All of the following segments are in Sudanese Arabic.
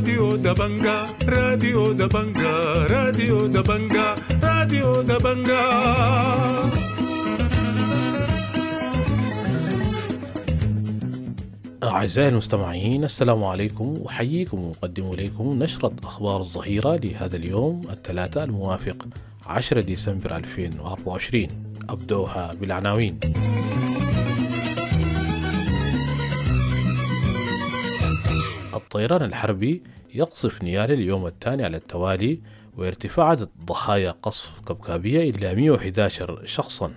راديو دبنجا، راديو دبنجا، راديو دبنجا، راديو دبنجا. أعزائي المستمعين، السلام عليكم، أحييكم وأقدم إليكم نشرة أخبار الظهيرة لهذا اليوم الثلاثاء الموافق 10 ديسمبر 2024. أبدأها بالعناوين. الطيران الحربي يقصف نيال اليوم الثاني على التوالي، وارتفاع عدد ضحايا قصف كبكابية إلى 111 شخصا.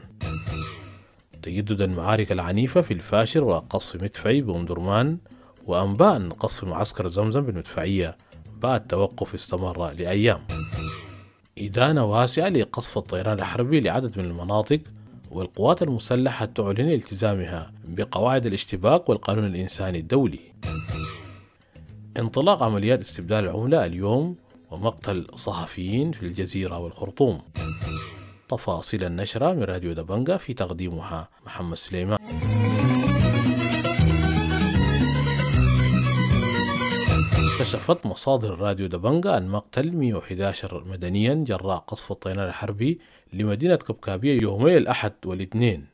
تجدد المعارك العنيفة في الفاشر وقصف مدفعي بأم درمان، وأنباء قصف معسكر زمزم بالمدفعية بعد توقف استمر لأيام. إدانة واسعة لقصف الطيران الحربي لعدد من المناطق، والقوات المسلحة تعلن التزامها بقواعد الاشتباك والقانون الإنساني الدولي. انطلاق عمليات استبدال العملة اليوم، ومقتل صحفيين في الجزيرة والخرطوم. تفاصيل النشرة من راديو دبنجا في تقديمها محمد سليمان. كشفت مصادر راديو دبنجا عن مقتل 111 مدنيا جراء قصف الطيران الحربي لمدينة كبكابية يومي الأحد والاثنين.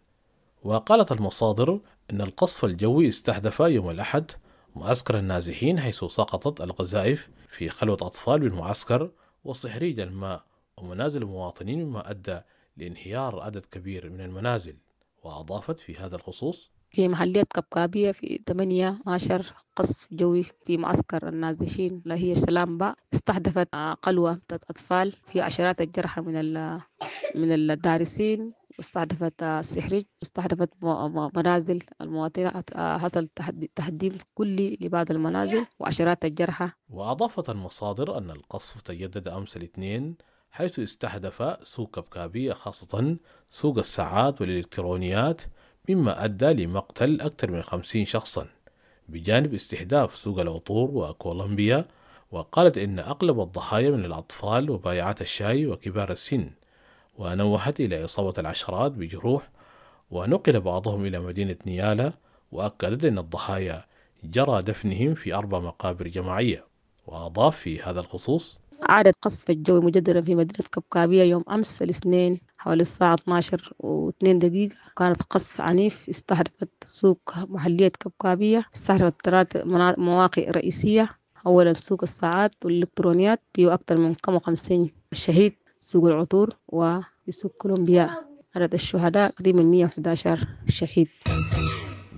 وقالت المصادر أن القصف الجوي استهدف يوم الأحد معسكر النازحين، حيث سقطت القذائف في خلوة أطفال بالمعسكر وصهريج الماء ومنازل المواطنين، مما أدى لانهيار عدد كبير من المنازل. وأضافت في هذا الخصوص: في محلية كبكابية في 18 قصف جوي في معسكر النازحين اللي هي سلام باء، استهدفت قلوة أطفال في عشرات الجرحى من الدارسين، واستهدفت السحرج، واستهدفت منازل المواطنين، حصل تهديم كلي لبعض المنازل وعشرات الجرحى. وأضافت المصادر أن القصف تجدد أمس الاثنين، حيث استهدف سوق كبكابية، خاصة سوق الساعات والإلكترونيات، مما أدى لمقتل أكثر من 50 شخصا، بجانب استهداف سوق العطور وكولومبيا. وقالت إن أغلب الضحايا من الأطفال وبائعات الشاي وكبار السن، ونوهت إلى إصابة العشرات بجروح، ونقل بعضهم إلى مدينة نيالا. وأكدت أن الضحايا جرى دفنهم في 4 مقابر جماعية. وأضاف في هذا الخصوص: عاد القصف الجوي مجددا في مدينة كبكابية يوم أمس الاثنين حوالي الساعة 12:02، كانت قصف عنيف استهدفت سوق محلية كبكابية، استهدفت 3 مواقع رئيسية، أولا سوق الساعات والإلكترونيات فيه أكثر من 50 شهيد، سوق العطور، وفي سوق كولومبيا عدد الشهداء تقريبا 111 شهيد.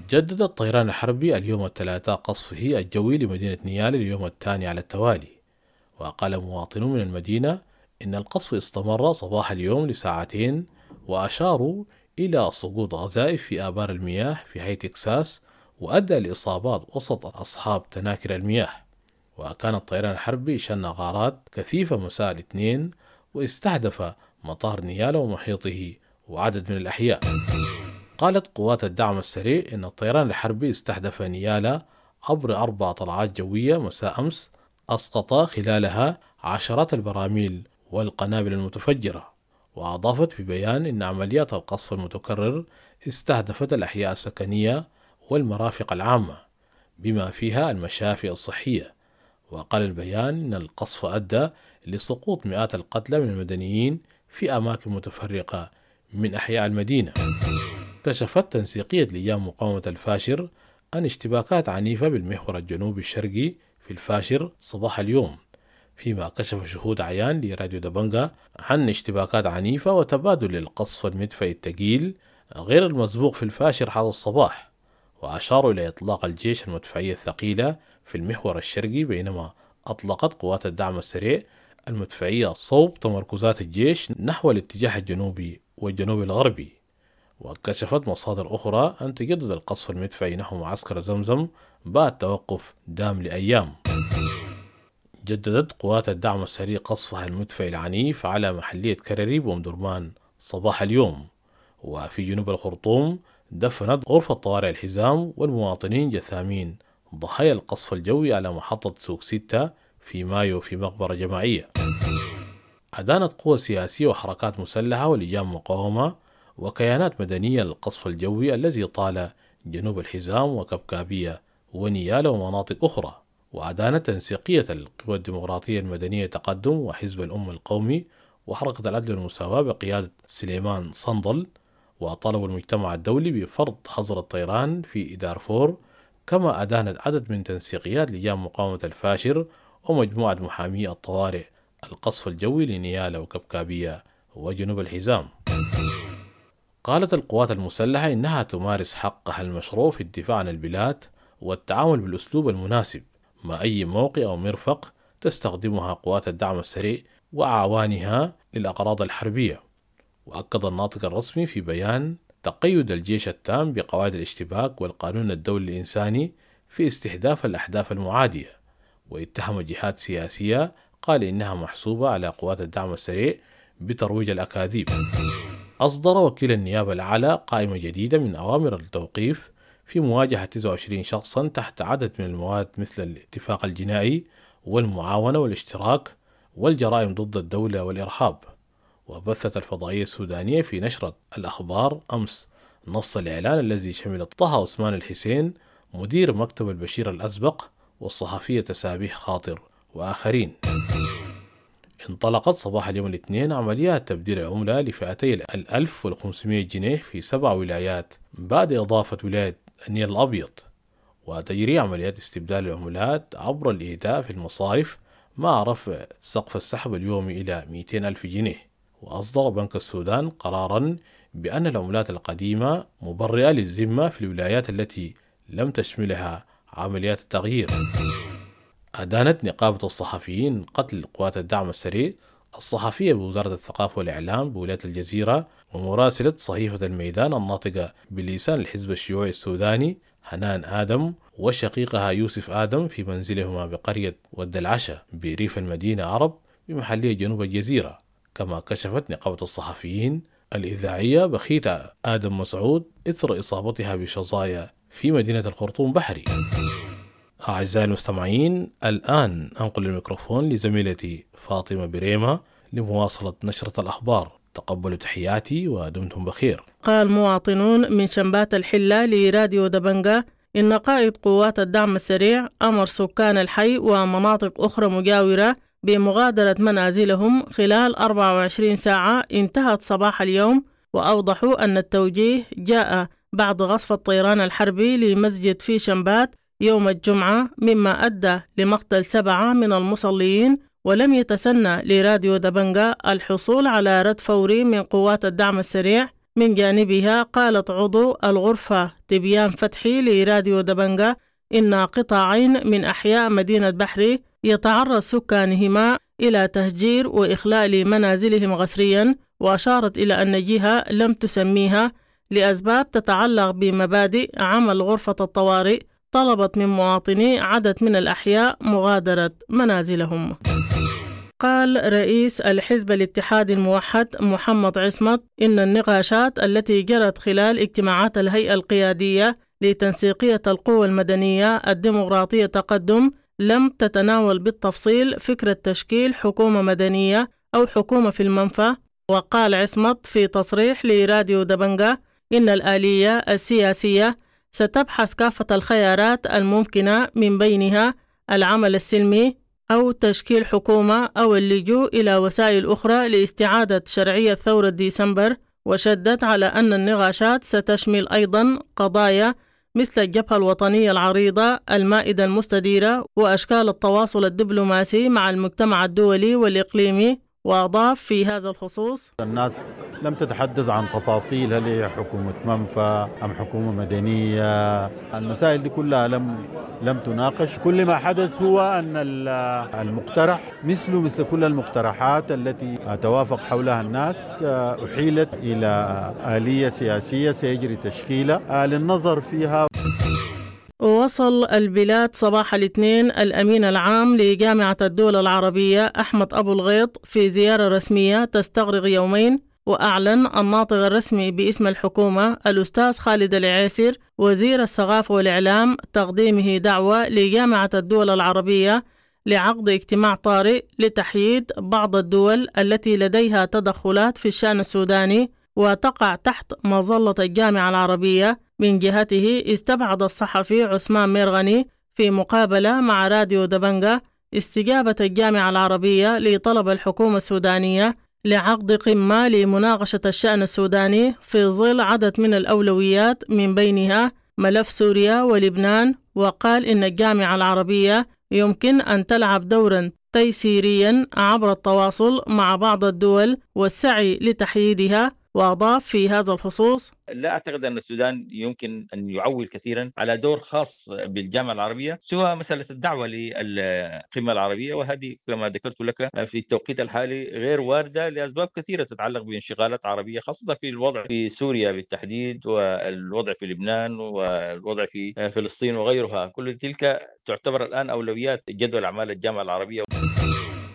جدد الطيران الحربي اليوم الثلاثاء قصفه الجوي لمدينة نيال اليوم الثاني على التوالي. وقال مواطنون من المدينة إن القصف استمر صباح اليوم لساعتين، وأشاروا إلى سقوط غذائف في آبار المياه في حي تكساس، وأدى لإصابات وسط أصحاب تناكر المياه. وكان الطيران الحربي شن غارات كثيفة مساء الاثنين، واستهدف مطار نيالا ومحيطه وعدد من الأحياء. قالت قوات الدعم السريع إن الطيران الحربي استهدف نيالا عبر 4 طلعات جوية مساء أمس، أسقط خلالها عشرات البراميل والقنابل المتفجرة. وأضافت في بيان إن عمليات القصف المتكرر استهدفت الأحياء السكنية والمرافق العامة بما فيها المشافي الصحية. وقال البيان إن القصف أدى لسقوط مئات القتلى من المدنيين في أماكن متفرقة من أحياء المدينة. كشفت تنسيقية لجان مقاومة الفاشر عن اشتباكات عنيفة بالمحور الجنوبي الشرقي في الفاشر صباح اليوم، فيما كشف شهود عيان لراديو دبنجا عن اشتباكات عنيفة وتبادل للقصف المدفعي الثقيل غير المسبوق في الفاشر هذا الصباح. وأشاروا إلى إطلاق الجيش المدفعية الثقيلة في المحور الشرقي، بينما أطلقت قوات الدعم السريع المدفعية صوب تمركزات الجيش نحو الاتجاه الجنوبي والجنوب الغربي. وكشفت مصادر أخرى أن تجدد القصف المدفعي نحو معسكر زمزم بعد توقف دام لأيام. جددت قوات الدعم السريع قصفها المدفعي العنيف على محلية كرري بأم درمان صباح اليوم. وفي جنوب الخرطوم دفنت غرفة طوارئ الحزام والمواطنين جثامين ضحايا القصف الجوي على محطة سوق 6 في مايو في مقبرة جماعية. أدانت قوى سياسية وحركات مسلحة ولجان مقاومة وكيانات مدنية للقصف الجوي الذي طال جنوب الحزام وكبكابية ونيالة ومناطق أخرى. وأدانت تنسيقية القوى الديمقراطية المدنية تقدم وحزب الأمة القومي وحركة العدل والمساواة بقيادة سليمان صندل، وطالبوا المجتمع الدولي بفرض حظر الطيران في دارفور. كما أدانت عدد من تنسيقيات لجان مقاومة الفاشر ومجموعة محامي الطوارئ القصف الجوي لنيالا وكبكابية وجنوب الحزام. قالت القوات المسلحة إنها تمارس حقها المشروع في الدفاع عن البلاد والتعامل بالأسلوب المناسب مع أي موقع أو مرفق تستخدمها قوات الدعم السريع وأعوانها للأغراض الحربية. وأكد الناطق الرسمي في بيان تقيد الجيش التام بقواعد الاشتباك والقانون الدولي الإنساني في استهداف الأهداف المعادية، واتهم جهات سياسية قال إنها محسوبة على قوات الدعم السريع بترويج الأكاذيب. أصدر وكيل النيابة الأعلى قائمة جديدة من أوامر التوقيف في مواجهة 29 شخصا تحت عدد من المواد مثل الاتفاق الجنائي والمعاونة والاشتراك والجرائم ضد الدولة والإرهاب. وبثت الفضائية السودانية في نشرة الأخبار أمس نص الإعلان الذي شمل طه عثمان الحسين مدير مكتب البشير الأسبق والصحفية تسابيح خاطر وآخرين. انطلقت صباح اليوم الاثنين عمليات تبديل العملة لفئتي 1500 جنيه في 7 ولايات بعد إضافة ولاية النيل الأبيض، وتجري عمليات استبدال العملات عبر الإيداع في المصارف مع رفع سقف السحب اليومي إلى 200,000 جنيه. وأصدر بنك السودان قرارا بأن العملات القديمة مبرئة للذمة في الولايات التي لم تشملها عمليات التغيير. أدانت نقابة الصحفيين قتل قوات الدعم السريع الصحفية بوزارة الثقافة والإعلام بولاية الجزيرة ومراسلة صحيفة الميدان الناطقة بلسان الحزب الشيوعي السوداني حنان آدم وشقيقها يوسف آدم في منزلهما بقرية ود العشا بريف المدينة عرب بمحلية جنوب الجزيرة. كما كشفت نقابة الصحفيين الإذاعية بخيتة آدم مسعود إثر إصابتها بشظايا في مدينة الخرطوم بحري. أعزائي المستمعين، الآن أنقل الميكروفون لزميلتي فاطمة بريمة لمواصلة نشرة الأخبار. تقبلوا تحياتي ودمتم بخير. قال مواطنون من شمبات الحلة لراديو دبنجة إن قائد قوات الدعم السريع أمر سكان الحي ومناطق أخرى مجاورة بمغادرة منازلهم خلال 24 ساعة انتهت صباح اليوم، وأوضحوا أن التوجيه جاء بعد غصف الطيران الحربي لمسجد في شمبات يوم الجمعة، مما أدى لمقتل 7 من المصلين. ولم يتسنى لراديو دبنجة الحصول على رد فوري من قوات الدعم السريع. من جانبها قالت عضو الغرفة تبيان فتحي لراديو دبنجة إن قطاعين من أحياء مدينة بحري يتعرض سكانهما إلى تهجير وإخلاء لمنازلهم قسريا، وأشارت إلى أن جهة لم تسميها لأسباب تتعلق بمبادئ عمل غرفة الطوارئ طلبت من مواطني عدد من الأحياء مغادرة منازلهم. قال رئيس الحزب الاتحادي الموحد محمد عصمت إن النقاشات التي جرت خلال اجتماعات الهيئة القيادية لتنسيقية القوى المدنية الديمقراطية تقدم لم تتناول بالتفصيل فكرة تشكيل حكومة مدنية أو حكومة في المنفى. وقال عصمت في تصريح لراديو دبنجة إن الآلية السياسية ستبحث كافة الخيارات الممكنة من بينها العمل السلمي أو تشكيل حكومة أو اللجوء إلى وسائل أخرى لاستعادة شرعية ثورة ديسمبر. وشدد على أن النقاشات ستشمل أيضا قضايا مثل الجبهة الوطنية العريضة، المائدة المستديرة، وأشكال التواصل الدبلوماسي مع المجتمع الدولي والإقليمي. وأضاف في هذا الخصوص: الناس لم تتحدث عن تفاصيل، هل هي حكومة منفى أم حكومة مدنية، المسائل دي كلها لم تناقش. كل ما حدث هو أن المقترح مثل كل المقترحات التي توافق حولها الناس أحيلت إلى آلية سياسية سيجري تشكيلها للنظر فيها. وصل البلاد صباح الاثنين الأمين العام لجامعة الدول العربية أحمد أبو الغيط في زيارة رسمية تستغرق يومين. وأعلن الناطق الرسمي باسم الحكومة الأستاذ خالد العيسر وزير الثقافة والإعلام تقديمه دعوة لجامعة الدول العربية لعقد اجتماع طارئ لتحييد بعض الدول التي لديها تدخلات في الشأن السوداني وتقع تحت مظلة الجامعة العربية. من جهته استبعد الصحفي عثمان ميرغني في مقابلة مع راديو دبنجة استجابة الجامعة العربية لطلب الحكومة السودانية لعقد قمة لمناقشة الشأن السوداني في ظل عدد من الأولويات من بينها ملف سوريا ولبنان. وقال إن الجامعة العربية يمكن أن تلعب دورا تيسيريا عبر التواصل مع بعض الدول والسعي لتحييدها. وأضاف في هذا الخصوص: لا أعتقد أن السودان يمكن أن يعول كثيرا على دور خاص بالجامعة العربية سوى مسألة الدعوة للقمة العربية، وهذه كما ذكرت لك في التوقيت الحالي غير واردة لأسباب كثيرة تتعلق بانشغالات عربية، خاصة في الوضع في سوريا بالتحديد والوضع في لبنان والوضع في فلسطين وغيرها. كل تلك تعتبر الآن أولويات جدول أعمال الجامعة العربية.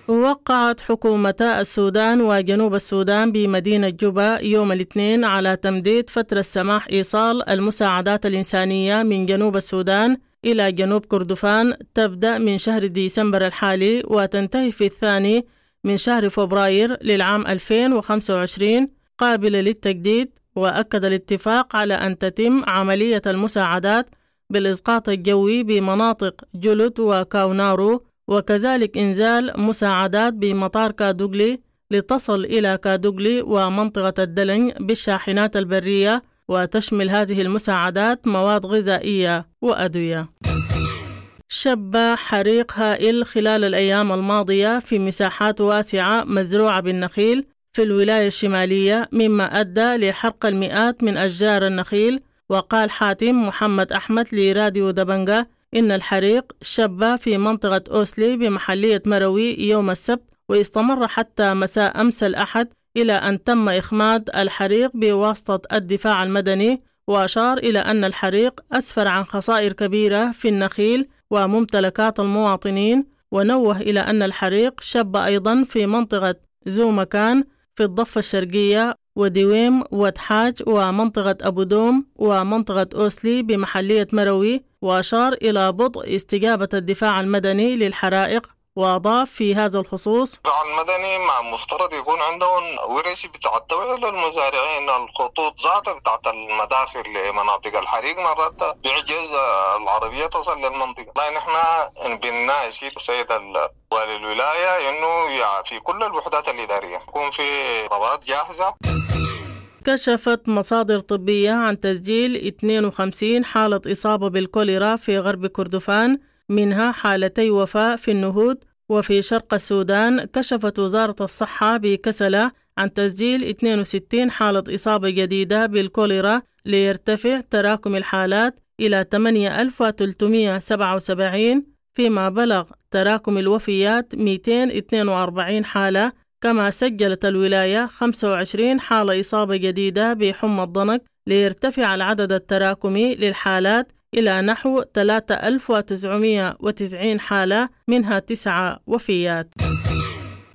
وقعت حكومتا السودان وجنوب السودان بمدينة جوبا يوم الاثنين على تمديد فترة سماح إيصال المساعدات الإنسانية من جنوب السودان إلى جنوب كردفان تبدأ من شهر ديسمبر الحالي وتنتهي في 2 من شهر فبراير للعام 2025 قابلة للتجديد. وأكد الاتفاق على أن تتم عملية المساعدات بالإسقاط الجوي بمناطق جلد وكاونارو، وكذلك إنزال مساعدات بمطار كادوغلي لتصل إلى كادوغلي ومنطقة الدلنج بالشاحنات البرية، وتشمل هذه المساعدات مواد غذائية وأدوية. شب حريق هائل خلال الأيام الماضية في مساحات واسعة مزروعة بالنخيل في الولاية الشمالية، مما أدى لحرق المئات من أشجار النخيل. وقال حاتم محمد أحمد لراديو دبنجة إن الحريق شب في منطقة أوسلي بمحلية مروي يوم السبت، واستمر حتى مساء أمس الأحد إلى أن تم إخماد الحريق بواسطة الدفاع المدني. وأشار إلى أن الحريق أسفر عن خسائر كبيرة في النخيل وممتلكات المواطنين. ونوه إلى أن الحريق شب أيضا في منطقة زومكان في الضفة الشرقية ودويم وتحاج ومنطقة أبو دوم ومنطقة أوسلي بمحلية مروي. وأشار إلى بطء استجابة الدفاع المدني للحرائق. وأضاف في هذا الخصوص: الدفاع المدني مع مفترض يكون عندهم ورش بتاع التوعية للمزارعين، الخطوط ذاتها بتاعت المداخل لمناطق الحريق مرات بيعجز العربية تصل للمنطقة. لا نحن بنناشد السيد والي الولاية إنه في كل الوحدات الإدارية يكون في رواد جاهزة. كشفت مصادر طبية عن تسجيل 52 حالة إصابة بالكوليرا في غرب كردفان، منها حالتي وفاة في النهود. وفي شرق السودان كشفت وزارة الصحة بكسلة عن تسجيل 62 حالة إصابة جديدة بالكوليرا، ليرتفع تراكم الحالات إلى 8377، فيما بلغ تراكم الوفيات 242 حالة. كما سجلت الولاية 25 حالة إصابة جديدة بحمى الضنك، ليرتفع العدد التراكمي للحالات إلى نحو 3990 حالة، منها 9 وفيات.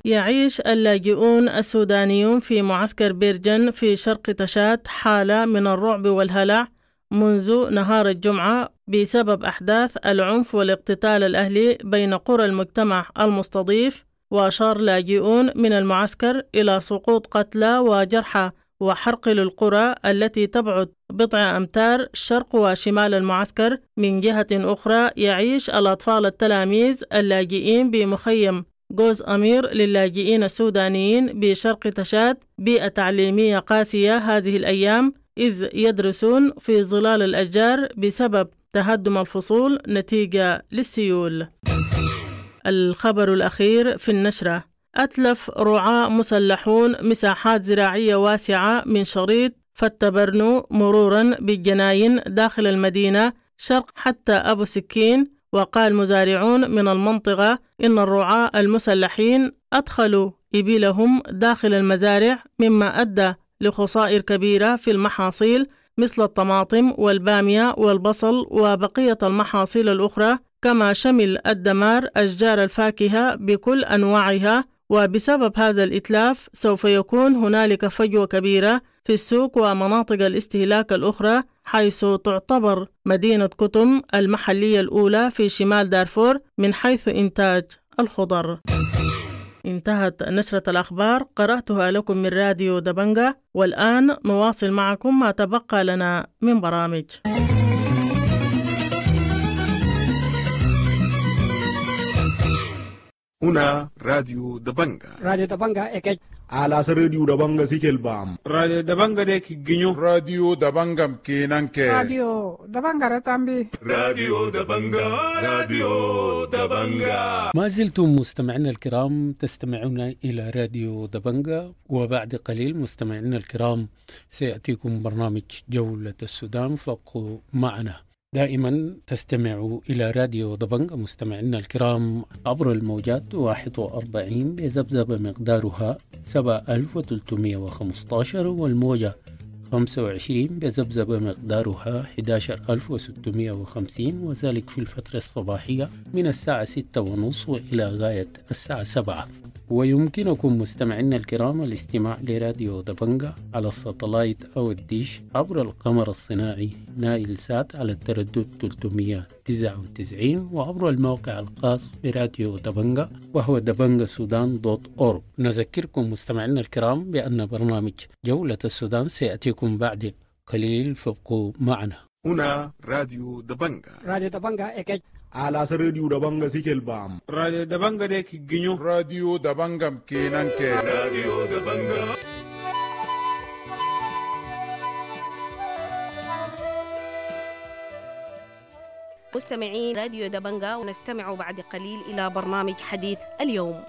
يعيش اللاجئون السودانيون في معسكر بيرجن في شرق تشاد حالة من الرعب والهلع منذ نهار الجمعة بسبب أحداث العنف والاقتتال الأهلي بين قرى المجتمع المستضيف. وأشار لاجئون من المعسكر إلى سقوط قتلى وجرحى وحرق للقرى التي تبعد بضع أمتار شرق وشمال المعسكر. من جهة أخرى يعيش الأطفال التلاميذ اللاجئين بمخيم جوز أمير للاجئين السودانيين بشرق تشاد بيئة تعليمية قاسية هذه الأيام، إذ يدرسون في ظلال الأشجار بسبب تهدم الفصول نتيجة للسيول. الخبر الأخير في النشرة: أتلف رعاة مسلحون مساحات زراعية واسعة من شريط فتبرنو مرورا بالجناين داخل المدينة شرق حتى أبو سكين. وقال مزارعون من المنطقة إن الرعاة المسلحين أدخلوا إبلهم داخل المزارع، مما أدى لخسائر كبيرة في المحاصيل مثل الطماطم والبامية والبصل وبقية المحاصيل الأخرى. كما شمل الدمار أشجار الفاكهة بكل أنواعها. وبسبب هذا الإتلاف سوف يكون هنالك فجوة كبيرة في السوق ومناطق الاستهلاك الأخرى، حيث تعتبر مدينة كتم المحلية الأولى في شمال دارفور من حيث إنتاج الخضر. انتهت نشرة الأخبار، قرأتها لكم من راديو دبنجة، والآن نواصل معكم ما تبقى لنا من برامج. هنا راديو دبنجا. راديو دبنجا إكج. على راديو دبنجا سيكل بام. راديو دبنجا ديك جنيو. راديو دبنجا كينانكي. راديو دبنجا رتامبي. راديو دبنجا، راديو دبنجا. ما زلتم مستمعينا الكرام تستمعون إلى راديو دبنجا، وبعد قليل مستمعينا الكرام سيأتيكم برنامج جولة السودان، فابقوا معنا. دائما تستمعوا إلى راديو دبنجا مستمعينا الكرام عبر الموجات 41 بذبذبة مقدارها 7315، والموجة 25 بذبذبة مقدارها 11650، وذلك في الفترة الصباحية من الساعة 6:30 وإلى غاية الساعة 7. ويمكنكم مستمعينا الكرام الاستماع لراديو دبنجا على الساتلايت أو الديش عبر القمر الصناعي نايل سات على التردد 399، وعبر الموقع الخاص براديو دبنجا وهو دبنجا سودان .org. نذكركم مستمعينا الكرام بأن برنامج جولة السودان سيأتيكم بعد قليل، فابقوا معنا. هنا راديو دبنجا. راديو دبنجا إكج. على راديو دبنجا سيكل بام. راديو دبنجا ديك جنيو. راديو دبنجا كينانكي. راديو دبنجا. مستمعين راديو دبنجا، ونستمع بعد قليل إلى برنامج حديث اليوم.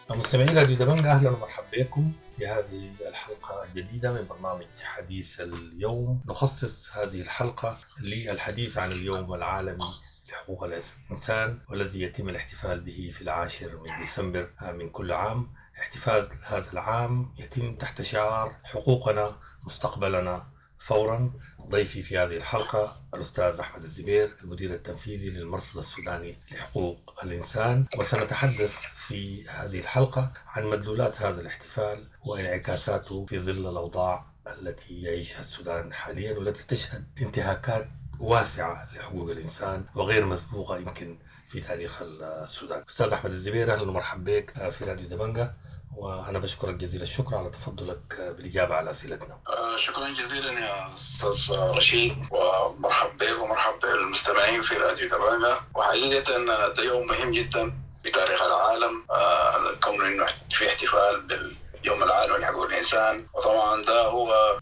مستمعي راديو دبنجا، أهلا ومرحبا بكم في هذه الحلقة الجديدة من برنامج حديث اليوم. نخصص هذه الحلقة للحديث عن اليوم العالمي لحقوق الإنسان، والذي يتم الاحتفال به في 10 ديسمبر من كل عام. احتفال هذا العام يتم تحت شعار حقوقنا مستقبلنا فورا. ضيفي في هذه الحلقة الأستاذ أحمد الزبير، المدير التنفيذي للمرصد السوداني لحقوق الإنسان، وسنتحدث في هذه الحلقة عن مدلولات هذا الاحتفال وانعكاساته في ظل الأوضاع التي يعيشها السودان حاليا، والتي تشهد انتهاكات واسعة لحقوق الإنسان وغير مسبوقة يمكن في تاريخ السودان. أستاذ أحمد الزبير، أهلا ومرحبا بك في راديو دبنجا، وأنا بشكرك جزيل الشكر على تفضلك بالإجابة على أسئلتنا. شكرا جزيلا يا أستاذ رشيد، ومرحب بك ومرحب بالمستمعين في راديو دبنجا. وحقيقة ده يوم مهم جدا في تاريخ العالم، كون إنه في احتفال باليوم العالمي لحقوق الإنسان، وطبعا ده هو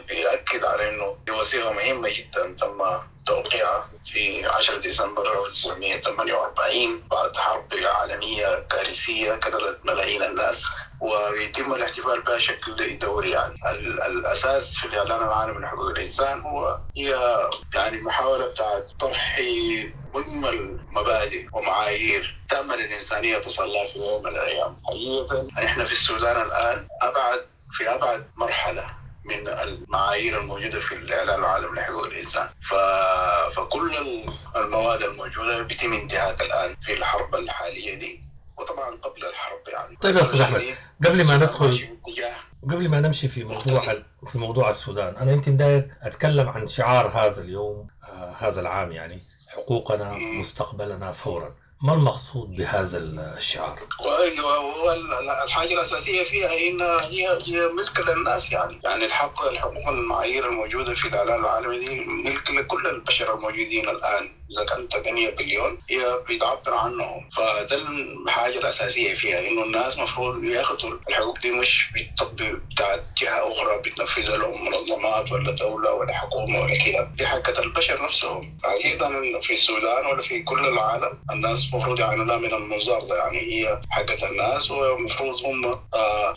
بيأكد على إنه دي وثيقة مهمة جدا تم توقيعها في 10 ديسمبر 1948 بعد حرب عالمية كارثية قتلت ملايين الناس، ويتم الاحتفال بها بشكل دوري. يعني الأساس في الإعلان العالمي لحقوق الإنسان هو هي يعني محاولة بتاعت طرح مجمل مبادئ ومعايير تأمل الإنسانية تصل لها في يوم من الأيام. حقيقة نحن في السودان الآن في أبعد مرحلة من المعايير الموجودة في الإعلان العالمي لحقوق الإنسان، فكل المواد الموجودة بيتم انتهاك الآن في الحرب الحالية دي، وطبعا قبل الحرب يعني. طيب يا أستاذ أحمد، قبل ما ندخل قبل ما نمشي في موضوع السودان، أنا يمكن داير أتكلم عن شعار هذا اليوم، هذا العام، يعني حقوقنا مستقبلنا فورا. ما المقصود بهذا الشعار؟ هو الحاجة الأساسية فيها إن هي ملك للناس، يعني الحقوق المعايير الموجودة في الإعلان العالمي دي ملك لكل البشر الموجودين الآن، إذا كان 8 بليون هي بتعبر عنهم. فده الحاجة الأساسية فيها، إنه الناس مفروض ياخذوا الحقوق دي، مش بالتطبيق بتاعت جهة أخرى بتنفذها لهم منظمات ولا دولة ولا حكومة ولا كده، دي حقة البشر نفسهم. أيضا في السودان ولا في كل العالم الناس المفروض يعني لا من المنظار ده، يعني هي حقة الناس، ومفروض هم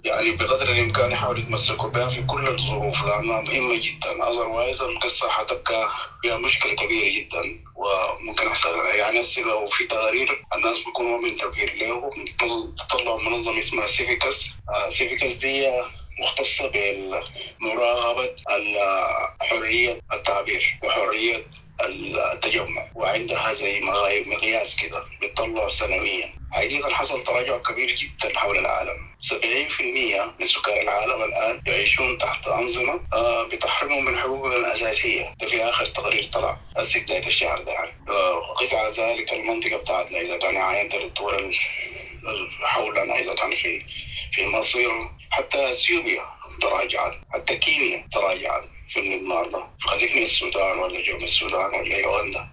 يعني بقدر الإمكان يحاولوا يتمسكوا بها في كل الظروف لأنها مهمة جدا. otherwise القصة حتبقى فيها مشكلة كبيرة جدا، وممكن يحصل يعني لو في تقارير الناس بيكونوا منتبهين له، تطلع منظمة اسمها سيفيكس. سيفيكس دي مختصة بمراقبة حرية التعبير وحرية التجمع، وعندها زي مقياس كده بتطلع سنويا. حقيقة حصل تراجع كبير جدا حول العالم. 70% من سكان العالم الآن يعيشون تحت أنظمة بتحرمهم من حقوقهم الأساسية. ده في آخر تقرير طلع هسه بداية الشهر ده يعني. وقيس على ذلك المنطقة بتاعتنا، إذا كان عاينت للدول حولنا، إذا كان في مصر، حتى اثيوبيا تراجعت، حتى كينيا تراجعت في النهار ده، خليك من السودان ولا جنوب السودان ولا يوغندا.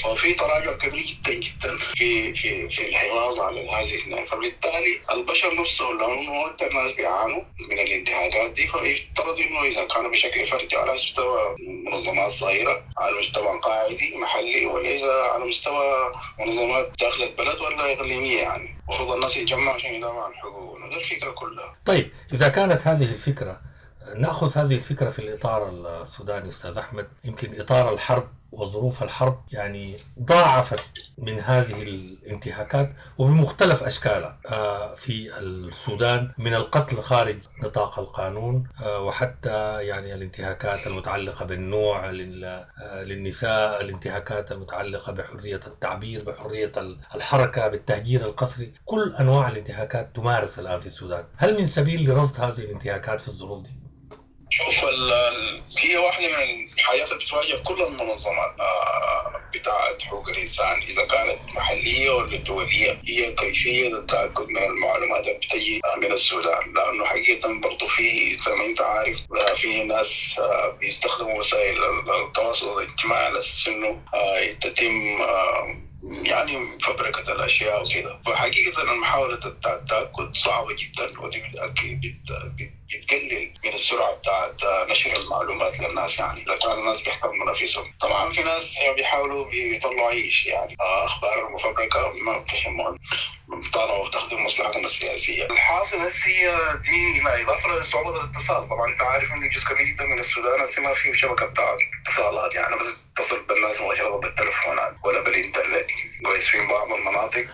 ففي تراجع كبير جدا جدا في في في الحفاظ على هذه. فبالتالي البشر نفسهم لانه اكثر ناس بيعانوا من الانتهاكات دي، فيفترض انه اذا كانوا بشكل فردي على مستوى منظمات صغيرة، على مستوى قاعدي محلي، ولا اذا على مستوى منظمات داخل البلد ولا اقليمية، يعني المفروض الناس يتجمعوا عشان يدافعوا عن حقوقهم. ده الفكرة كلها. طيب اذا كانت هذه الفكرة، نأخذ هذه الفكرة في الإطار السوداني أستاذ أحمد، يمكن إطار الحرب وظروف الحرب يعني ضاعفت من هذه الانتهاكات وبمختلف أشكالها في السودان، من القتل خارج نطاق القانون، وحتى يعني الانتهاكات المتعلقة بالنوع للنساء، الانتهاكات المتعلقة بحرية التعبير، بحرية الحركة، بالتهجير القسري، كل أنواع الانتهاكات تمارس الآن في السودان. هل من سبيل لرصد هذه الانتهاكات في الظروف دي؟ شوف، هي واحدة من الحاجات اللي بتواجه كل المنظمات بتاعت حقوق الإنسان، إذا كانت محلية ولا دولية، هي كيفية التأكد من المعلومات اللي بتجي من السودان. لأنه حقيقة برضو في، زي ما أنت عارف، في ناس بيستخدموا وسائل التواصل الاجتماعي على أساس إنه تتم يعني فبركة الأشياء وكده. فحقيقة محاولة التأكد صعبة جدا، ودي بتقلل من السرعة بتاعت نشر المعلومات للناس. يعني إذا كان الناس بيحترموا نفسهم، طبعا في ناس بيحاولوا بيطلعوا عيش، يعني أخبار مفبركة ما بتهمهم، طالعوا بتخدم مصلحتهم السياسية. الحاصل هسه دي إضافة لصعوبة الاتصال. طبعا أنت عارف إنه جزء كبير جدا من السودان هسه ما فيه شبكة بتاعت اتصالات، يعني بس تتصل بالناس مباشرة بالتلفونات ولا بالإنترنت. كويس، في بعض المناطق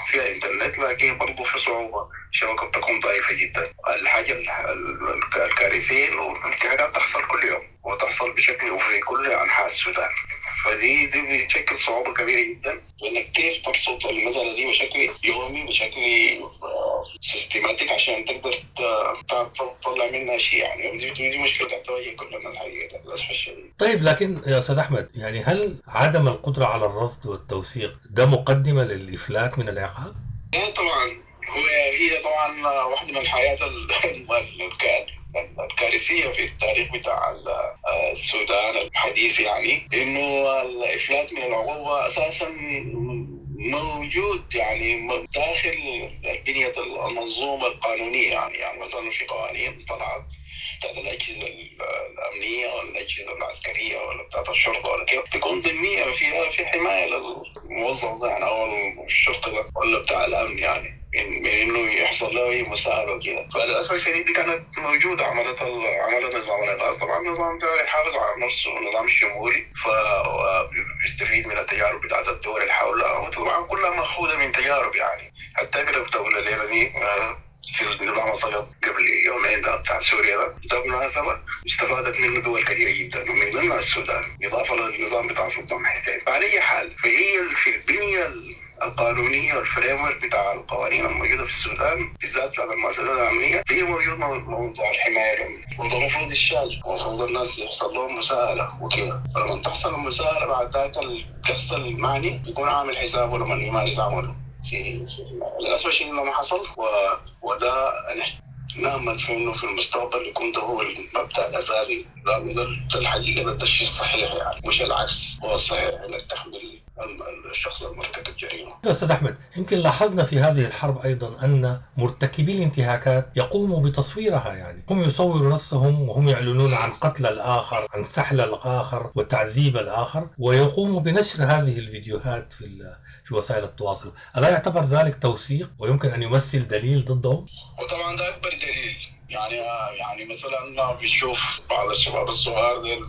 فيها إنترنت، لكن برضه في صعوبة، الشبكة بتكون ضعيفة جدا. الحاجة الكارثية إنه الانتهاكات تحصل كل يوم، وتحصل بشكل وفي كل أنحاء السودان. فدي بتشكل صعوبة كبيرة جدا، لأنك كيف ترصد المسألة دي بشكل يومي، بشكل systematic، عشان تقدر تطلع منها شيء. يعني دي مشكلة قاعدة تواجه كل الناس حقيقة للأسف الشديد. طيب لكن يا أستاذ أحمد، يعني هل عدم القدرة على الرصد والتوثيق ده مقدمة للإفلات من العقاب؟ لا طبعا، هي طبعا واحدة من الحياة الكارثية في التاريخ بتاع السودان الحديث، يعني إنه الإفلات من العقوبة أساسا موجود يعني داخل بنية المنظومة القانونية. يعني مثلا في قوانين طلعت بتاعت الأجهزة الأمنية ولا الأجهزة العسكرية ولا بتاعت الشرطة ولا كده، تكون ضمنية فيها في حماية للموظف ده يعني أو الشرطي ده ولا بتاع الأمن، يعني من انه يحصل له اي مساءله وكده. فللاسف الشديد دي كانت موجودة، عملها نظام الانقاذ. طبعا النظام ده يحافظ على نفسه، نظام شمولي، فبيستفيد من التجارب بتاعت الدول اللي حولها، وطبعا كلها مأخوذة من تجارب. يعني حتى اقرب دولة لنا دي في النظام السقط قبل يومين ده بتاع سوريا ده بالمناسبة استفادت منه دول كثيرة جدا، ومن ضمنها السودان، إضافة للنظام بتاع صدام حسين. فعلى أي حال، فهي في البنية القانونية وال framework بتاع القوانين الموجودة في السودان بالذات بتاعت المؤسسات الأمنية، هي موجود موضوع الحماية، وده المفروض يشال، المفروض الناس يحصل لهم مساءلة وكده. فلما تحصل المساءلة بعد ذاك الشخص المعني يكون عامل حسابه لما يمارس عمله. في للأسف الشديد ما حصل، وده نأمل في إنه في المستقبل يكون ده هو المبدأ الأساسي، لأنه ده الحقيقة ده الشيء الصحيح، يعني مش العكس هو الصحيح، إنك تحمل الشخص المرتكب جريمة. أستاذ أحمد، يمكن لاحظنا في هذه الحرب أيضا أن مرتكبي الانتهاكات يقوموا بتصويرها، يعني هم يصوروا نفسهم وهم يعلنون عن قتل الآخر، عن سحل الآخر وتعذيب الآخر، ويقوموا بنشر هذه الفيديوهات في وسائل التواصل. ألا يعتبر ذلك توثيق ويمكن أن يمثل دليل ضدهم؟ وطبعا ده أكبر دليل يعني مثلا بنشوف بعض الشباب الصغار ديل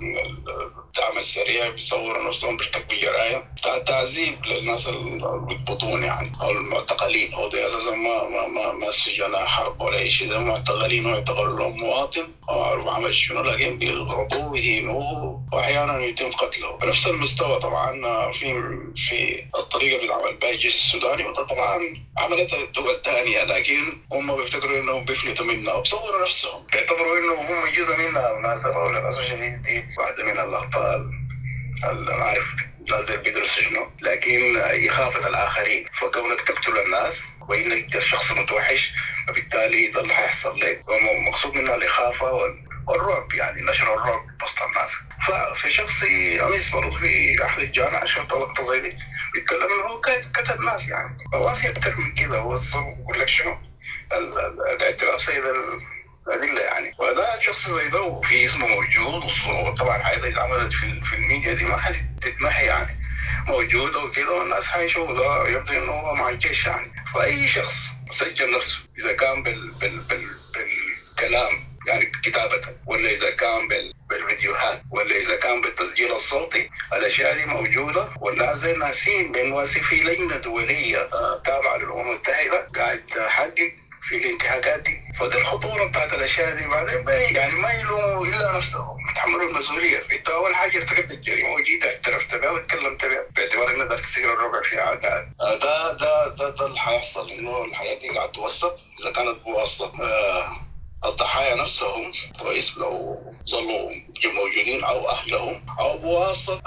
الدعم السريع بيصوروا نفسهم بيرتكبوا جرائم بتاع تعذيب للناس اللي بيقبضون يعني او المعتقلين. هو ده اساسا ما ما ما, ما سجناء حرب ولا اي شيء، ده معتقلين واعتقلوا لهم مواطن ما معروف عمل شنو، لكن بيضربوه ويهينوه واحيانا يتم قتله. بنفس المستوى طبعا في الطريقة اللي بيتعمل بها الجيش السوداني، وده طبعا عملتها دول ثانية، لكن هم بيفتكروا انهم بيفلتوا منها وبصوروا نفسهم، بيعتبروا انه هم جزء منها. بالمناسبة وللاسف الشديد دي واحدة من الاخطاء اللي انا عارف الناس دي بيدرسوا شنو، لكن إخافة الآخرين. فكونك تقتل الناس وإنك شخص متوحش، فبالتالي ده اللي حيحصل لك. ومقصود منها الإخافة والرعب، يعني نشر الرعب وسط الناس. ففي شخص أمس برضه في أحد الجامعة شفت لقطة زي دي بيتكلم إنه هو كتب ناس يعني، فما في أكثر من كده. هو بقول لك شنو الاعتراف سيد الأدلة يعني. وده شخص زي ده وفي اسمه موجود، وطبعا الحاجات اللي اتعملت في الميديا دي ما حتتمحي يعني، موجودة وكده، والناس حيشوفوا ده يبدو إنه هو مع الجيش يعني. فأي شخص سجل نفسه إذا كان بالكلام يعني كتابة، ولا إذا كان بالفيديوهات، ولا إذا كان بالتسجيل الصوتي، الأشياء دي موجودة. والناس زي ناسين بأنه في لجنة دولية تابعة للأمم المتحدة قاعد تحقق في الانتهاكات دي. فدي الخطورة بتاعت الأشياء دي. بعدين يعني ما يلوموا إلا نفسهم، يتحملوا المسؤولية. أنت أول حاجة ارتكبت الجريمة وجيت اعترفت بها وتكلمت بها باعتبار إنك تصير الربع في عداء. ده ده ده ده اللي حيحصل، إنه الحاجات دي قاعد توثق إذا كانت بواسطة الضحايا نفسهم كويس لو ظلوا موجودين، او اهلهم، او بواسطة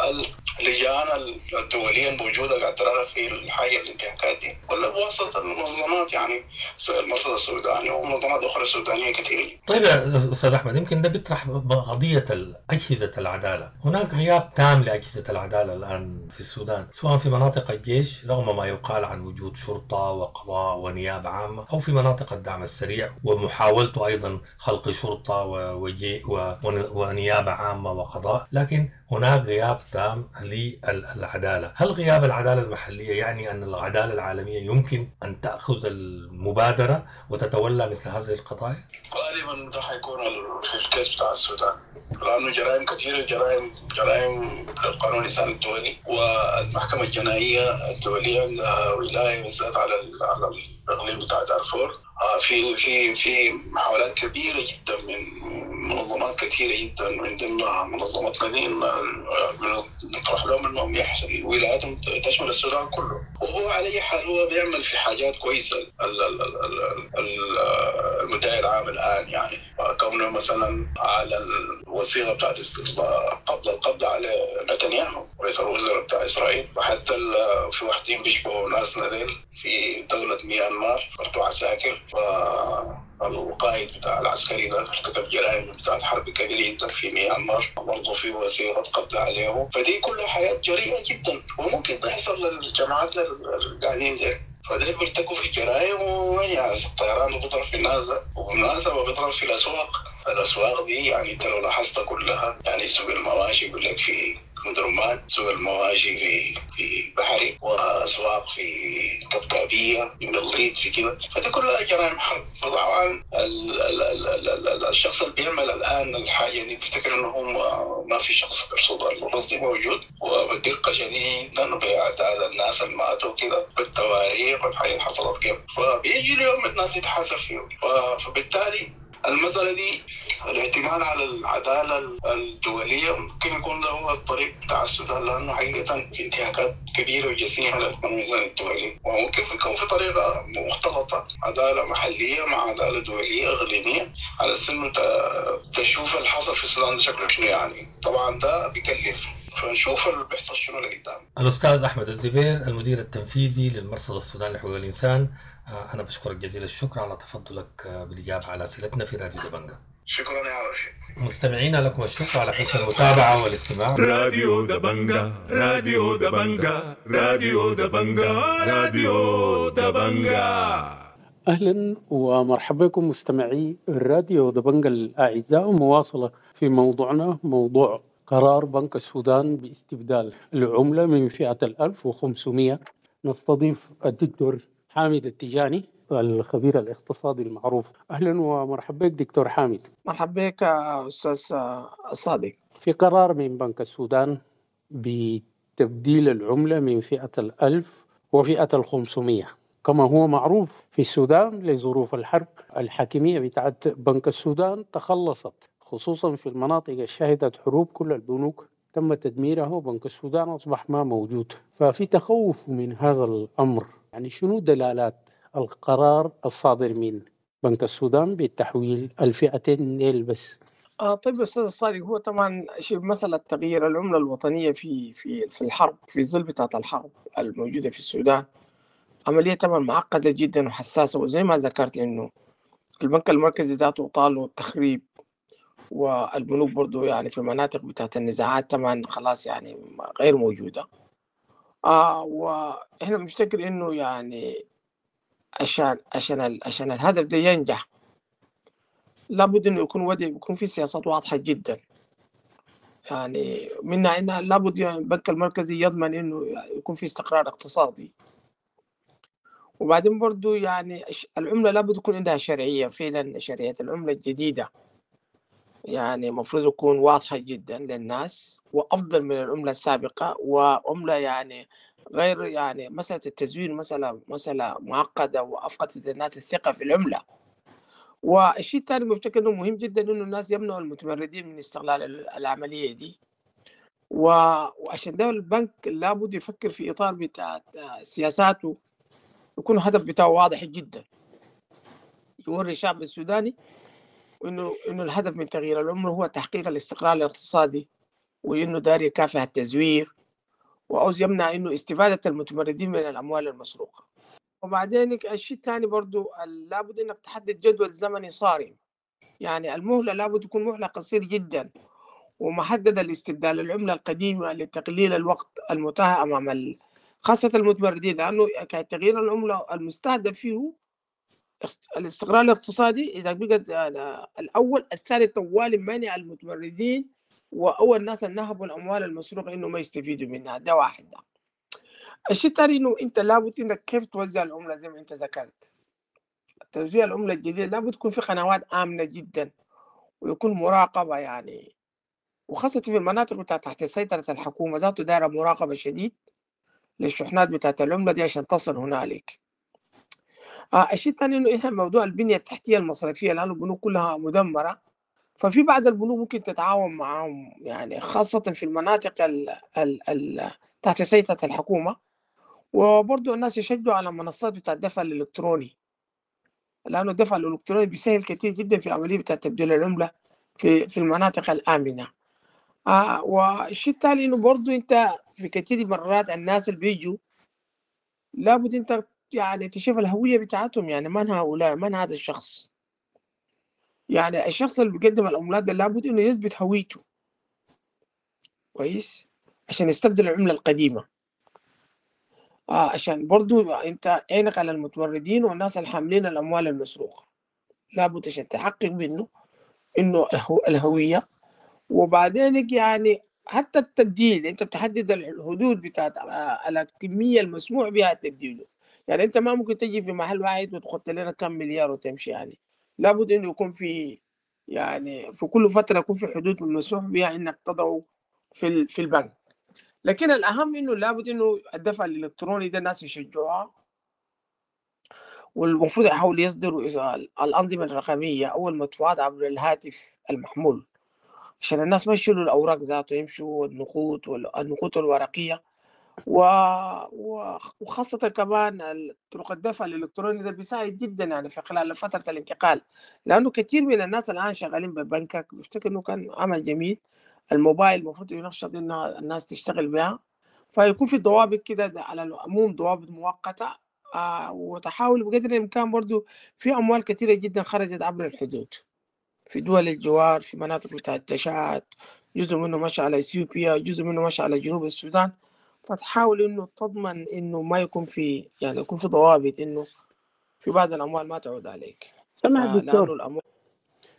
اللجان الدولية الموجودة قاعد تراقب في الحاجة الانتهاكات دي، ولا بواسطة المنظمات يعني المرصد السوداني ومنظمات اخرى سودانيه كثيرة. طيب يا استاذ احمد، يمكن ده بيطرح قضية اجهزة العدالة، هناك غياب تام لاجهزة العدالة الان في السودان، سواء في مناطق الجيش رغم ما يقال عن وجود شرطه وقضاء ونيابه عامة، او في مناطق الدعم السريع ومحاولته ايضا خلق شرطة ونيابة عامة وقضاء، لكن هناك غياب تام للعدالة. هل غياب العدالة المحلية يعني أن العدالة العالمية يمكن أن تأخذ المبادرة وتتولى مثل هذه القضايا؟ غالبا ده حيكون في الكيس بتاع السودان، لأنه جرائم كثيرة، جرائم للقانون الإنساني الدولي، والمحكمة الجنائية الدولية عندها ولاية بالذات على الإقليم بتاع دارفور. في في في محاولات كبيرة جدا من منظمات كثيرة جدا، من ضمنها منظمتنا دي نطرح لهم انهم ولاياتهم تشمل السودان كله. وهو على اي حال هو بيعمل في حاجات كويسة المدعي العام الان، يعني كونه مثلا على الوثيقة بتاعت قبل القبض على نتنياهو رئيس الوزراء بتاع اسرائيل، وحتى في واحدين بيشبهوا ناسنا ديل في دولة ميانمار برضو عساكر، والقائد بتاع العسكري ده ارتكب جرائم بتاعت حرب كبيرة جدا في ميانمار، برضه في وثيقة قبض عليه. فدي كلها حياة جريئة جدا وممكن تحصل للجماعات اللي قاعدين ديل. فديل بيرتكبوا في جرائم، وين الطيران بيضرب في الناس، وبالمناسبة بيضرب في الأسواق. الأسواق دي يعني انت لو لاحظتها كلها يعني سوق المواشي يقول لك في مدرمان، سوق المواشي في بحري، واسواق في كبكابيه، في مليط، في كده. فدي كلها جرائم حرب. فطبعا الشخص اللي بيعمل الان الحاجة دي بيفتكر انه هو ما في شخص بيرصد الرصد موجود، وبدقه شديدة باعداد الناس اللي ماتوا كده بالتواريخ والحاجات اللي حصلت كيف. فبيجي اليوم الناس يتحاسب فيه. فبالتالي المسألة دي الاعتماد على العدالة الدولية ممكن يكون ده هو الطريق بتاع السودان، لأنه حقيقة في انتهاكات كبيرة وجسيمة للقانون الدولي، وممكن يكون في طريقة مختلطة، عدالة محلية مع عدالة دولية إقليمية، على أساس إنه تشوف اللي حصل في السودان ده شكله شنو يعني. طبعا ده بيكلف، فنشوف اللي بيحصل شنو لقدام. الأستاذ أحمد الزبير المدير التنفيذي للمرصد السوداني لحقوق الإنسان، أنا بشكرك جزيل الشكر على تفضلك بالإجابة على أسئلتنا في راديو دبنجة. شكرا يا رشيد. مستمعينا لكم الشكر على حسن المتابعة والاستماع. راديو دبنجة، راديو دبنجة، راديو دبنجة، راديو دبنجة. أهلا ومرحبا بكم مستمعي الراديو دبنجة الأعزاء، مواصلة في موضوعنا، موضوع قرار بنك السودان باستبدال العملة من فئة 1500. نستضيف الدكتور حامد التجاني، الخبير الاقتصادي المعروف. أهلا ومرحبا بك دكتور حامد. مرحبا بك أستاذ الصادق. في قرار من بنك السودان بتبديل العملة من فئة 1000 وفئة 500، كما هو معروف في السودان لظروف الحرب الحاكمية بتاعت بنك السودان تخلصت، خصوصا في المناطق اللي شهدت حروب كل البنوك تم تدميرها وبنك السودان أصبح ما موجود، ففي تخوف من هذا الأمر. يعني شنو دلالات القرار الصادر من بنك السودان بالتحويل الفئتين ديل بس؟ طيب أستاذ الصادق، هو طبعا شوف مسألة تغيير العملة الوطنية في في في الحرب، في ظل بتاعة الحرب الموجودة في السودان، عملية طبعا معقدة جدا وحساسة، وزي ما ذكرت إنه البنك المركزي ذاته طاله التخريب، والبنوك برضو يعني في مناطق بتاعت النزاعات طبعا خلاص يعني غير موجودة. وإحنا بنفتكر إنه يعني عشان عشان عشان الهدف ده ينجح لابد إنه يكون ودي يكون في سياسات واضحة جدا، يعني منها إنها لابد يعني البنك المركزي يضمن إنه يكون في استقرار اقتصادي، وبعدين برضو يعني العملة لابد يكون عندها شرعية، فعلا شرعية العملة الجديدة يعني المفروض يكون واضحة جدا للناس وأفضل من العملة السابقة، وعملة يعني غير يعني مسألة التزوير مسألة معقدة وأفقدت الناس الثقة في العملة. والشيء الثاني بفتكر إنه مهم جدا إنه الناس يمنعوا المتمردين من استغلال العملية دي، وعشان ده البنك لابد يفكر في إطار بتاع سياساته يكون الهدف بتاعه واضح جدا، يوري الشعب السوداني إنه الهدف من تغيير العملة هو تحقيق الاستقرار الاقتصادي، وإنه داري يكافح التزوير، وعاوز يمنع إنه استفادة المتمردين من الأموال المسروقة. وبعدين الشيء الثاني برضو لابد إنك تحدد جدول زمني صارم، يعني المهلة لابد تكون مهلة قصير جدا ومحددة لاستبدال العملة القديمة لتقليل الوقت المتاح أمام خاصة المتمردين، لأنه تغيير العملة المستهدف فيه الاستقرار الاقتصادي إذا بقت الأول الثاني طوال منع المتمردين وأول ناس نهبوا الأموال المسروقة إنه ما يستفيدوا منها، ده واحد. ده الشيء الثاني إنه أنت لابد إنك كيف توزع العملة زي ما أنت ذكرت، توزيع العملة الجديدة لابد تكون في قنوات آمنة جدا ويكون مراقبة، يعني وخاصة في المناطق بتاعت تحت سيطرة الحكومة ذاته دايرة مراقبة شديد للشحنات بتاعت العملة دي عشان تصل هنالك. الشيء الثاني إنه إحنا موضوع البنية التحتية المصرفية لأنه البنوك كلها مدمرة، ففي بعض البنوك ممكن تتعاون معهم يعني خاصة في المناطق ال تحت سيطرة الحكومة. وبرضه الناس يشجعوا على منصات بتاع الدفع الإلكتروني، لأنه الدفع الإلكتروني بيسهل كثير جدا في عملية بتاع تبديل العملة في المناطق الآمنة. والشيء الثاني إنه برضه أنت في كثير مرات الناس اللي بيجوا لابد أنت يعني تشوف الهوية بتاعتهم، يعني من هؤلاء، من هذا الشخص، يعني الشخص اللي بيقدم العملات ده لابد إنه يثبت هويته كويس عشان يستبدل العملة القديمة، عشان برضو أنت عينك على المتمردين والناس الحاملين الأموال المسروقة، لابد عشان تحقق منه إنه الهوية. وبعدين يعني حتى التبديل أنت بتحدد الحدود بتاعت الكمية المسموح بها تبديله، يعني أنت ما ممكن تجي في محل واحد وتحط لنا كم مليار وتمشي، يعني لابد إنه يكون في يعني في كل فترة يكون في حدود المسموح بها إنك تضعه في البنك. لكن الأهم إنه لابد إنه الدفع الإلكتروني ده الناس يشجعوها، والمفروض يحاول يصدروا الأنظمة الرقمية أو المدفوعات عبر الهاتف المحمول عشان الناس ما يشيلوا الأوراق ذاته، يمشوا النقود والنقود الورقية وخاصة كمان طرق الدفع الإلكتروني ده بيساعد جدا يعني في خلال فترة الانتقال، لأنه كثير من الناس الآن شغالين ببنكك، بفتكر إنه كان عمل جميل. الموبايل المفروض ينشط إن الناس تشتغل بها، فيكون في ضوابط كده على العموم، ضوابط مؤقتة، وتحاول بقدر الإمكان برضو في أموال كثيرة جدا خرجت عبر الحدود في دول الجوار، في مناطق بتاعت تشاد، جزء منه مشى على إثيوبيا، جزء منه مشى على جنوب السودان، فتحاول إنه تضمن إنه ما يكون في يعني يكون في ضوابط إنه في بعض الأموال ما تعود عليك. سمع دكتور، لأنه الأموال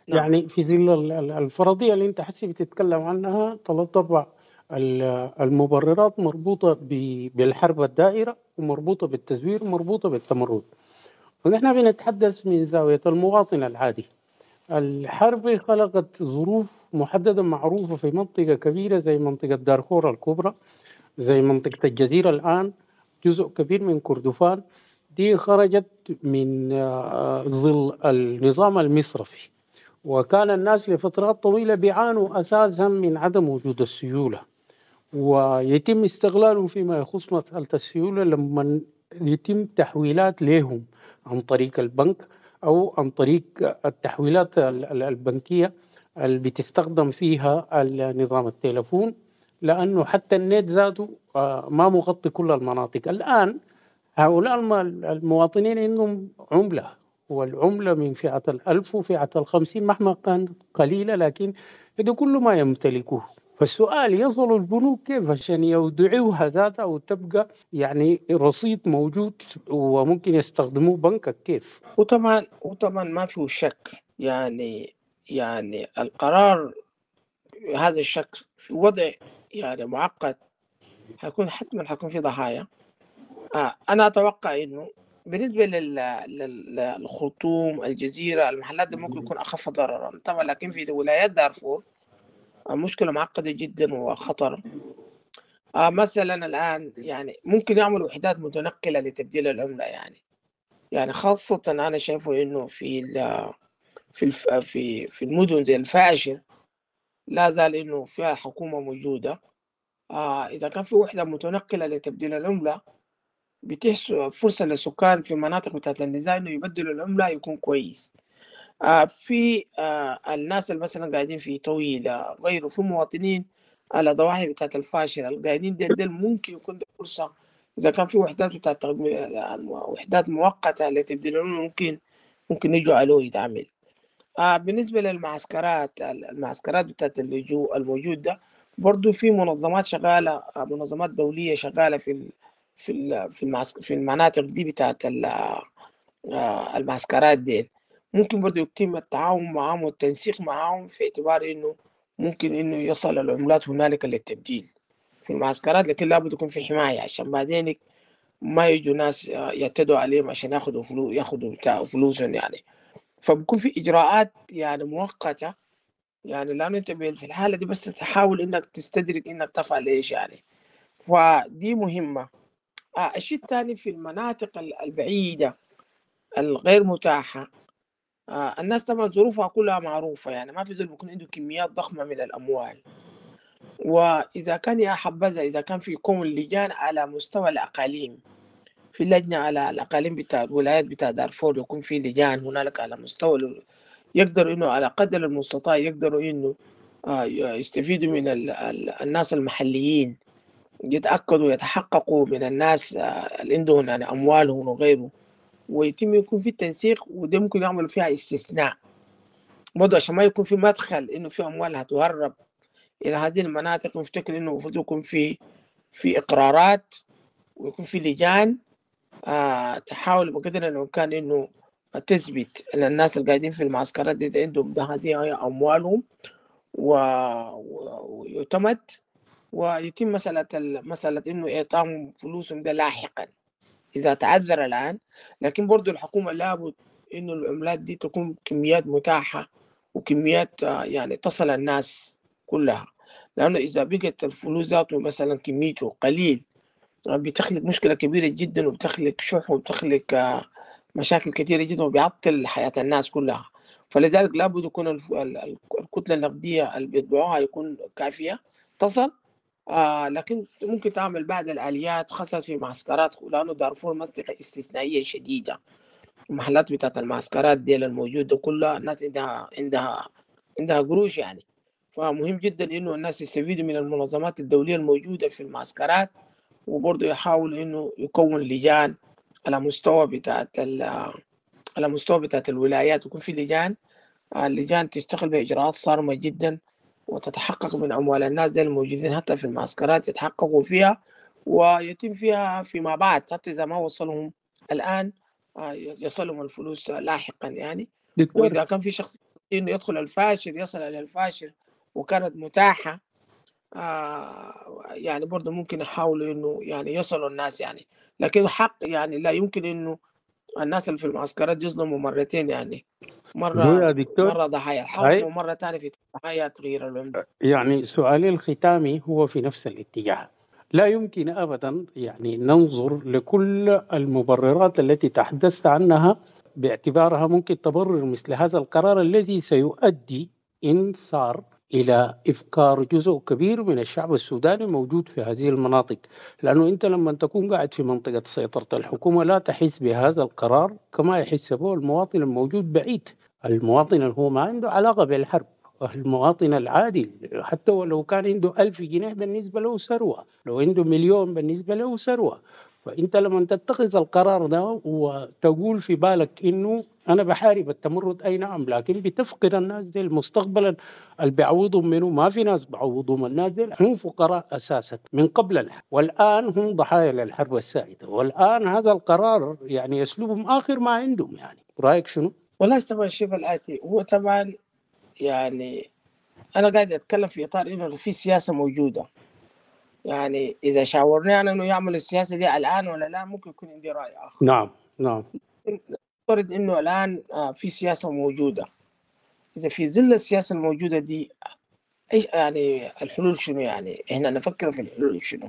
نعم. يعني في ظل الفرضية اللي أنت حسي بتتكلم عنها، طبعا المبررات مربوطة بالحرب الدائرة، ومربوطة بالتزوير، ومربوطة بالتمرد. ونحن بنتحدث من زاوية المواطن العادي. الحرب خلقت ظروف محددة معروفة في منطقة كبيرة زي منطقة دارفور الكبرى، زي منطقة الجزيرة الآن، جزء كبير من كردفان دي خرجت من ظل النظام المصرفي، وكان الناس لفترات طويلة بيعانوا أساسا من عدم وجود السيولة، ويتم استغلالهم فيما يخص مسألة السيولة لما يتم تحويلات لهم عن طريق البنك أو عن طريق التحويلات البنكية اللي بتستخدم فيها النظام التليفون، لأنه حتى النت ذاته ما مغطي كل المناطق. الآن هؤلاء المواطنين عندهم عملة، والعملة من فئة 1000 وفئة 50 مهما كانت قليلة، لكن هذا كل ما يمتلكوه. فالسؤال يصل البنوك كيف عشان يودعوها ذاتها وتبقى يعني رصيد موجود وممكن يستخدموه بنكك كيف؟ وطبعا ما فيه شك، يعني القرار هذا الشك في وضع يعني معقد حيكون حتما حيكون في ضحايا. أنا أتوقع إنه بالنسبة للخرطوم، الجزيرة، المحلات دي ممكن يكون أخف ضررا طبعا، لكن في ولايات دارفور مشكلة معقدة جدا وخطرة. مثلا الآن يعني ممكن يعملوا وحدات متنقلة لتبديل العملة، يعني خاصة أنا شايفه إنه في في في في المدن زي الفاشر لا زال إنه فيها حكومة موجودة. إذا كان في وحدة متنقلة لتبديل العملة بتيح فرصة للسكان في مناطق بتاعت النزاع إنه يبدلوا العملة يكون كويس. في الناس اللي مثلا قاعدين في طويلة غيره، في مواطنين على ضواحي بتاعت الفاشر القاعدين ديل ممكن يكون ده فرصة إذا كان في وحدات بتاعت وحدات مؤقتة لتبديل العملة ممكن يجوا عليه يتعمل. بالنسبة للمعسكرات، المعسكرات بتاعت اللجوء الموجود ده برضو في منظمات شغالة، منظمات دولية شغالة في في في في المناطق دي بتاعت المعسكرات دي، ممكن برضو يتم التعاون معهم والتنسيق معهم في اعتبار انه ممكن انه يصل العملات هنالك للتبديل في المعسكرات، لكن لابد يكون في حماية عشان بعدين ما يجوا ناس يعتدوا عليهم عشان ياخذوا فلوس، ياخذوا بتاع فلوسهم يعني. فبكون في اجراءات يعني مؤقتة، يعني لانه انت في الحالة دي بس تحاول انك تستدرك انك تفعل ايش يعني، فدي مهمة. الشيء الثاني في المناطق البعيدة الغير متاحة، الناس طبعا ظروفها كلها معروفة، يعني ما في زول بيكون عنده كميات ضخمة من الأموال. وإذا كان يا حبذا إذا كان في كون لجان على مستوى الأقاليم، في لجنة على الأقاليم بتاع الولايات بتاع دارفور، يكون في لجان هنالك على مستوى يقدروا إنه على قدر المستطاع يقدروا إنه يستفيدوا من الناس المحليين، يتأكدوا يتحققوا من الناس اللي عندهم يعني أموالهم وغيره، ويتم يكون في تنسيق، وده ممكن يعملوا فيها استثناء برضه عشان ما يكون في مدخل إنه في أموال هتهرب إلى هذه المناطق. نفتكر إنه المفروض يكون في إقرارات ويكون في لجان تحاول بقدر الإمكان إنه تثبت أن الناس اللي قاعدين في المعسكرات دي عندهم هذه أموالهم ويعتمد، ويتم مسألة إنه إعطاهم فلوسهم ده لاحقا إذا تعذر الآن. لكن برضو الحكومة لابد إنه العملات دي تكون كميات متاحة وكميات يعني تصل الناس كلها، لأنه إذا بقت الفلوس ذاته مثلا كميته قليل بتخلق مشكلة كبيرة جدا، وبتخلق شح، وبتخلق مشاكل كثيرة جدا، وبيعطل حياة الناس كلها. فلذلك لابد يكون الكتلة النقدية اللي بيطبعوها يكون كافية تصل. لكن ممكن تعمل بعض الآليات خاصة في معسكرات، لأنه دارفور منطقة استثنائية شديدة، المحلات بتاعت المعسكرات دي الموجودة كلها الناس عندها قروش يعني. فمهم جدا إنه الناس يستفيدوا من المنظمات الدولية الموجودة في المعسكرات، وبرضه يحاول إنه يكون لجان على مستوى بتاعت على مستوى بتاعت الولايات، يكون في لجان، اللجان تشتغل بإجراءات صارمة جدا وتتحقق من أموال الناس دي الموجودين حتى في المعسكرات، يتحققوا فيها ويتم فيها فيما بعد، حتى إذا ما وصلهم الآن يصلهم الفلوس لاحقا يعني. دكتور. وإذا كان في شخص إنه يدخل الفاشر يصل إلى الفاشر وكانت متاحة يعني برضه ممكن يحاولوا إنه يعني يصلوا الناس يعني، لكن حق يعني لا يمكن إنه الناس اللي في المعسكرات يظلموا مرتين يعني، هو مرة يا دكتور مرة ضحايا الحرب هاي ومرة تانية في ضحايا تغيير العملة. يعني سؤالي الختامي هو في نفس الاتجاه. لا يمكن أبدا يعني ننظر لكل المبررات التي تحدثت عنها باعتبارها ممكن تبرر مثل هذا القرار الذي سيؤدي إن صار إلى إفكار جزء كبير من الشعب السوداني موجود في هذه المناطق، لأنه أنت لما تكون قاعد في منطقة سيطرة الحكومة لا تحس بهذا القرار كما يحس به المواطن الموجود بعيد، المواطن اللي هو ما عنده علاقة بالحرب، المواطن العادي حتى ولو كان عنده 1000 جنيه بالنسبة له ثروة، لو عنده مليون بالنسبة له ثروة. فأنت لما تتخذ القرار ده وتقول في بالك إنه أنا بحارب التمرد، أي نعم، لكن بتفقد الناس دي مستقبلا اللي بيعوضهم منه ما في ناس بعوضهم، الناس دي هم فقراء أساسا من قبل الحرب، والآن هم ضحايا للحرب السائدة، والآن هذا القرار يعني يسلبهم آخر ما عندهم. يعني رأيك شنو؟ والله طبعا الشيء الآتي هو طبعا يعني أنا قاعد أتكلم في إطار إنه في سياسة موجودة، يعني إذا شاورني أنا إنه يعمل السياسة دي الآن ولا لا ممكن يكون عندي رأي آخر. نعم نعم. نفترض إنه الآن في سياسة موجودة، إذا في ظل السياسة الموجودة دي إيش يعني الحلول شنو؟ يعني إحنا نفكر في الحلول شنو؟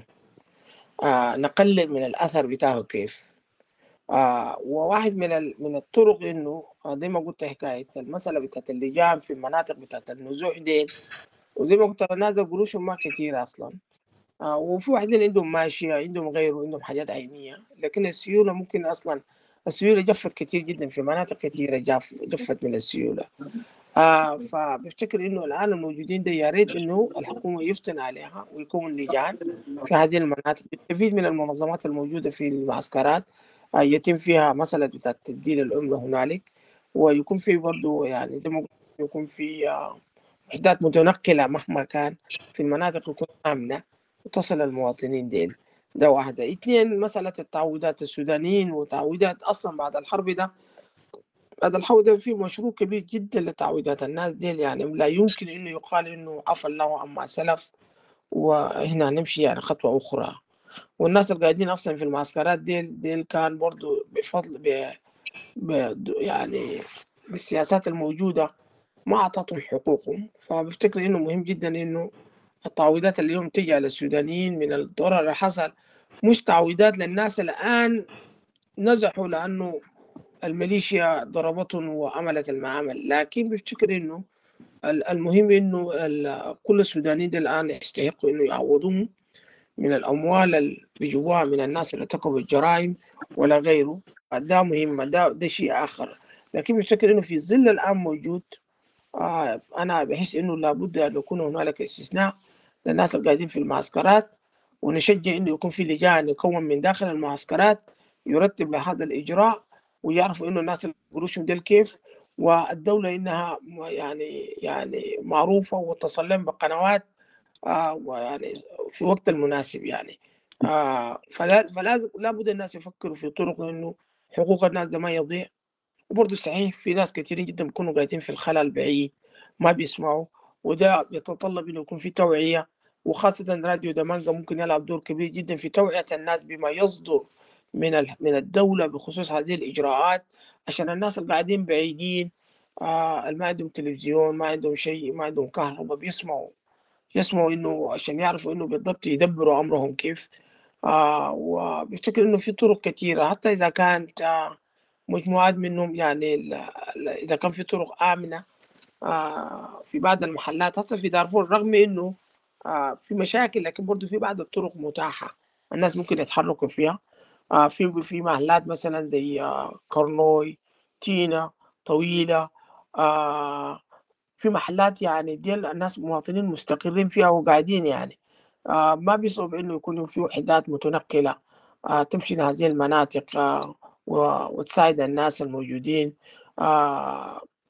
نقلل من الأثر بتاعه كيف؟ وواحد من الطرق إنه زي ما قلت حكاية المسألة بتاعت اللجان في المناطق بتاعت النزوح دي، وزي ما قلت الناس قروشهم ما كتير أصلا، وفي واحدين عندهم ماشية، عندهم غيره، عندهم حاجات عينية، لكن السيولة ممكن أصلا السيولة جفت كتير جدا في مناطق كتيرة، جفت من السيولة. فبفتكر إنه الآن الموجودين ده يا ريت إنه الحكومة يفتن عليها ويكون لجان في هذه المناطق، يستفيد من المنظمات الموجودة في المعسكرات، يتم فيها مسألة بتاعت تبديل العملة هنالك، ويكون في برضو يعني زي ما قلت يكون في وحدات متنقلة مهما كان في المناطق يكون آمنة وتصل المواطنين ديل. ده واحدة. اثنين، مسألة التعويضات السودانيين وتعويضات أصلا بعد الحرب ده، بعد الحرب ده في مشروع كبير جدا لتعويضات الناس ديل، يعني لا يمكن إنه يقال إنه عفى الله عما سلف وهنا نمشي يعني خطوة أخرى. والناس اللي قاعدين أصلا في المعسكرات ديل كان برضو بفضل يعني بالسياسات الموجودة ما أعطتهم حقوقهم. فبفتكر إنه مهم جدا إنه التعويضات اللي اليوم تجي على السودانيين من الضرر اللي حصل مش تعويضات للناس الآن نزحوا لأنه الميليشيا ضربتهم وعملت المعامل، لكن بفتكر إنه المهم إنه كل السودانيين الآن يستحقوا إنه يعوضوهم من الأموال اللي بيجوها من الناس اللي ارتكبوا الجرائم ولا غيره. ده مهم، ده شيء آخر. لكن بفتكر إنه في ظل الآن موجود أنا بحس إنه لابد أن يكون هنالك استثناء للناس اللي قاعدين في المعسكرات، ونشجع إنه يكون في لجان يكون من داخل المعسكرات يرتب لهذا الإجراء، ويعرفوا إنه الناس اللي قروشهم ديل كيف، والدولة إنها يعني معروفة وتصل لهم بقنوات ويعني في وقت المناسب يعني. فلازم لابد الناس يفكروا في طرق إنه حقوق الناس ده ما يضيع. وبرضه صحيح في ناس كثيرين جدا بيكونوا قاعدين في الخلل البعيد ما بيسمعوا، وده يتطلب إنه يكون في توعية، وخاصة راديو دمانجا ممكن يلعب دور كبير جدا في توعية الناس بما يصدر من الدولة بخصوص هذه الإجراءات، عشان الناس اللي قاعدين بعيدين ما عندهم تلفزيون، ما عندهم شيء، ما عندهم كهرباء، يسمعوا إنه عشان يعرفوا إنه بالضبط يدبروا أمرهم كيف. وبفتكر إنه في طرق كثيرة، حتى إذا كانت مجموعات منهم يعني إذا كان في طرق آمنة في بعض المحلات، حتى في دارفور رغم إنه في مشاكل لكن برضو في بعض الطرق متاحة الناس ممكن يتحركوا فيها. في محلات مثلا زي كورنوي، تينا، طويلة، في محلات يعني ديال الناس مواطنين مستقرين فيها وقاعدين يعني، ما بيصعب إنه يكون في وحدات متنقلة تمشي لهذه المناطق وتساعد الناس الموجودين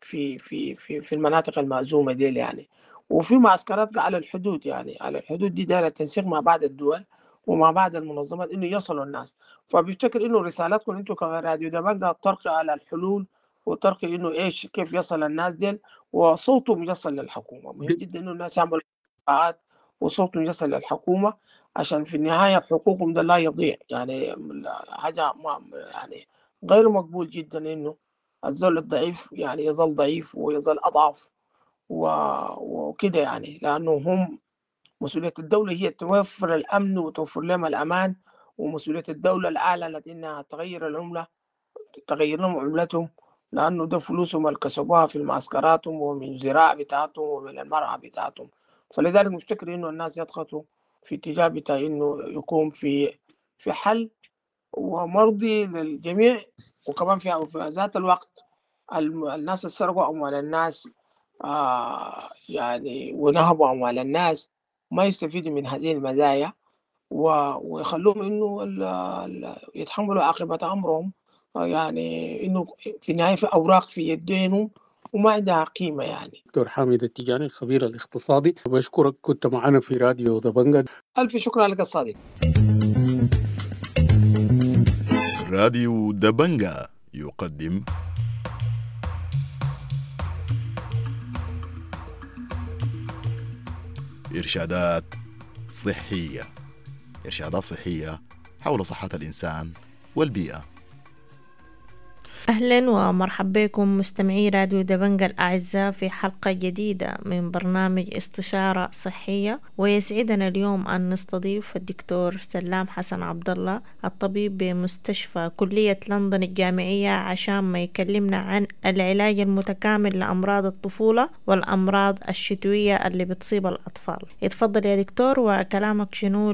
في في في في المناطق المأزومة ديل يعني. وفي معسكرات على الحدود، يعني على الحدود دي دايرة تنسيق مع بعض الدول ومع بعض المنظمات إنه يصلوا الناس. فبفتكر إنه رسالتكم أنتم كراديو دمانجا ترقي على الحلول وترقي إنه إيش كيف يصل الناس ديل وصوتهم يصل للحكومة. مهم جدا إنه الناس يعملوا لقاءات وصوتهم يصل للحكومة عشان في النهاية حقوقهم ده لا يضيع، يعني حاجة ما يعني غير مقبول جدا إنه الزول الضعيف يعني يظل ضعيف ويظل أضعف وكده يعني، لأنه هم مسؤولية الدولة هي توفر الأمن وتوفر لهم الأمان، ومسؤولية الدولة اللي أعلنت إنها تغير العملة تغير لهم عملتهم، لأنه ده فلوسهم اللي كسبوها في معسكراتهم ومن الزراعة بتاعتهم ومن المرعى بتاعتهم. فلذلك مفتكر إنه الناس يضغطوا في اتجاه بتاع إنه يكون في حل ومرضي للجميع، وكمان في ذات الوقت الناس اللي سرقوا أموال الناس يعني ونهبوا أموال الناس ما يستفيدوا من هذه المزايا، ويخلوهم إنه يتحملوا عاقبة أمرهم، يعني إنه في النهاية في أوراق في يدينهم وما عندها قيمة يعني. دكتور حامد التجاني الخبير الاقتصادي، بشكرك كنت معنا في راديو دبنجة. ألف شكر لك الصادق. راديو دبنجة يقدم إرشادات صحية، إرشادات صحية حول صحة الإنسان والبيئة. أهلا ومرحبا بكم مستمعي راديو دبنجة الأعزاء في حلقة جديدة من برنامج استشارة صحية، ويسعدنا اليوم أن نستضيف الدكتور سلام حسن عبد الله الطبيب بمستشفى كلية لندن الجامعية عشان ما يكلمنا عن العلاج المتكامل لأمراض الطفولة والأمراض الشتوية اللي بتصيب الأطفال. اتفضل يا دكتور، وكلامك شنو؟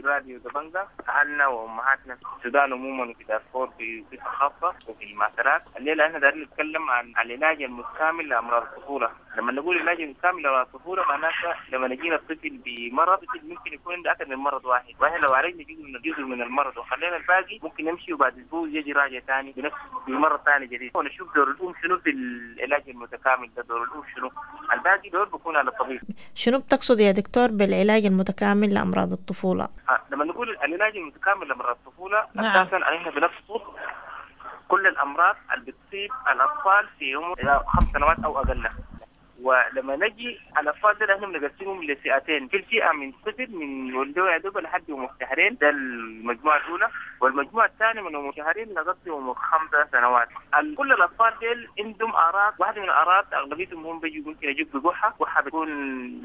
راديو دبنجة أهلنا وأمهاتنا في السودان عموما وفي دارفور بصفة خاصة وفي المعسكرات. الليلة احنا دايرين نتكلم عن العلاج المتكامل لأمراض الطفولة. لما نقول العلاج المتكامل لأمراض الطفولة معناتها لما نجينا الطفل بمرض، الطفل ممكن يكون عنده أكثر من مرض واحد، واحنا لو عالجنا جزء من المرض وخلينا الباقي ممكن نمشي وبعد أسبوع يجي راجع ثاني بنفس بمرض ثاني جديد، ونشوف دور الأم شنو في العلاج المتكامل ده، دور الأم شنو، الباقي دور بيكون على الطبيب. شنو بتقصد يا دكتور بالعلاج المتكامل لأمراض الطفولة؟ لما نقول العلاج المتكامل لأمراض الطفولة، نعم، أساساً احنا بنقصد كل الأمراض اللي بتصيب الأطفال في عمر 5 سنوات أو أقل. ولما نجي على الأطفال ده احنا بنقسمهم لفئتين، في فئة من صفر من ولدوا يا دوب لحد عمر شهرين، ده المجموعة الأولى، والمجموعة الثانية من عمر شهرين لغاية عمر 5 سنوات. كل الأطفال ديل عندهم أعراض، واحدة من الأعراض أغلبيتهم هم بيجوا ممكن يجوا بقحة، قحة بتكون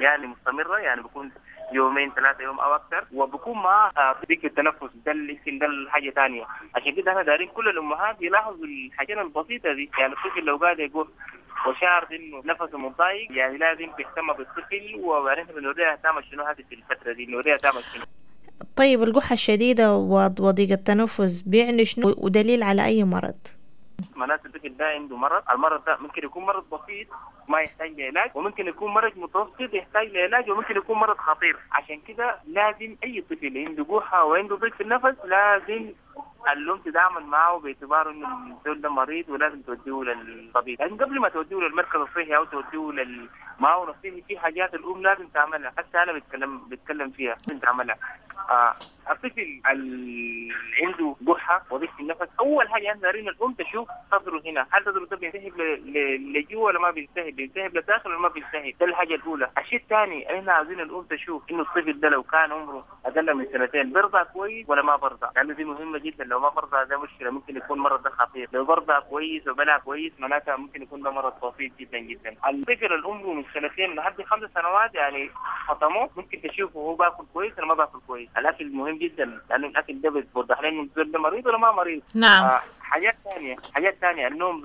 يعني مستمرة، يعني بيكون يومين 3 يوم أو أكثر، وبكون معاه ضيق التنفس، ده يمكن ده الحاجة ثانية. عشان كده احنا دارين كل الأمهات يلاحظوا الحاجات البسيطة دي، يعني الطفل لو قاعد يقول وشعر انه نفسه متضايق يعني لازم تهتم بالطفل، وبعدين بنوريها تعمل شنو هذه في الفترة دي، نوريها تعمل شنو. طيب القحة الشديدة وضيق التنفس بيعني شنو ودليل على أي مرض؟ معناته الطفل ده عنده مرض، المرض ده ممكن يكون مرض بسيط ما يحتاج لعلاج، وممكن يكون مرض متوسط يحتاج لعلاج، وممكن يكون مرض خطير. عشان كده لازم أي طفل عنده قحة وعنده ضيق في النفس لازم الأم تتعامل معه باعتباره إنه الزول ده مريض ولازم توديه للطبيب. لكن قبل ما توديه للمركز الصحي أو توديه للمعاون الصحي في حاجات الأم لازم تعملها، حتى أنا بتكلم فيها لازم تعملها. الطفل اللي عنده قحة وضيق في النفس، أول حاجة احنا دايرين الأم تشوف صدره هنا، هل صدره ده بينسحب لجوا ولا ما بينسحب، بينسحب للداخل ولا ما بينسحب، ده الحاجة الأولى. الشيء الثاني احنا عاوزين الأم تشوف إنه الطفل ده لو كان عمره أقل من 2 سنين بيرضع كويس ولا ما برضع، لأنه دي مهمة جدا. لو ما برضع ده مشكلة، ممكن يكون مرض ده خطير. لو برضع كويس وبلع كويس معناتها ممكن يكون ده مرض بسيط جدا جدا. الطفل العمر من 2 سنين لحد 5 سنوات يعني خطموه، ممكن تشوفه هو باكل كويس ولا ما باكل كويس. الاكل مهم جدا لانه الاكل ده بيوضح لنا انه ده مريض ولا ما مريض. نعم. حاجات ثانية، النوم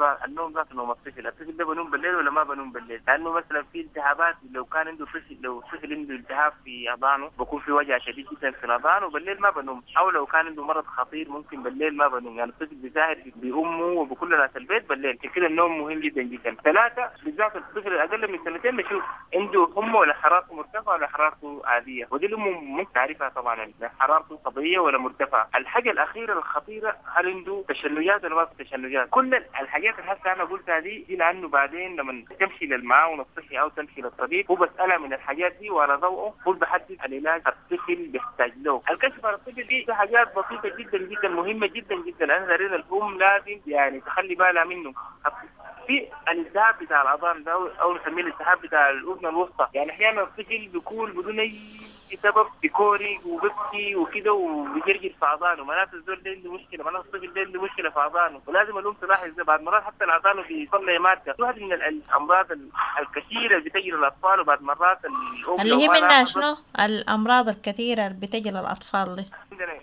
ذات نوم الطفل ده بنوم بالليل ولا ما بنوم بالليل، لانه مثلا في التهابات، لو كان عنده طفل، لو طفل عنده التهاب في اذانه بكون في وجع شديد جدا في الاذان وبالليل ما بنوم، او لو كان عنده مرض خطير ممكن بالليل ما بنوم، يعني الطفل بيساهر بامه وبكل ناس البيت بالليل. كده النوم مهم جدا جدا. 3 بالذات الطفل الاقل من 2 سنين بشوف عنده حمى ولا حرارته مرتفعة ولا حرارته عادية، ودي الام ممكن تعرفها طبعا، حرارته طبيعية ولا مرتفعة. الحاجة الاخيرة الخطيرة، هل عنده تشنجات ولا ما في تشنجات؟ كل الحاجات اللي هسه انا قلتها دي لانه بعدين لما تمشي للمعاون الصحي او تمشي للطبيب هو بسالها من الحاجات دي وعلى ضوءه هو بحدد العلاج الطفل بيحتاج له. الكشف على الطفل دي حاجات بسيطة جدا جدا مهمة جدا جدا، انا دارين الام لازم يعني تخلي بالها منه. في الالتهاب بتاع الاذان ده او نسميه الالتهاب بتاع الاذن الوسطى، يعني احيانا الطفل بيكون بدون اي سبب بيكوري وببكي وكده وبيجرجر في اذانه، معناته الزول ده عنده مشكلة، معناته الطفل ده عنده مشكلة في اذانه، ولازم الام تلاحظ ده. بعد مرات حتى الاذان بيطلع مادة، واحد من الامراض الكثيرة اللي بتجي للاطفال، وبعد مرات الام اللي هي منها شنو؟ الامراض الكثيرة اللي بتجي للاطفال دي.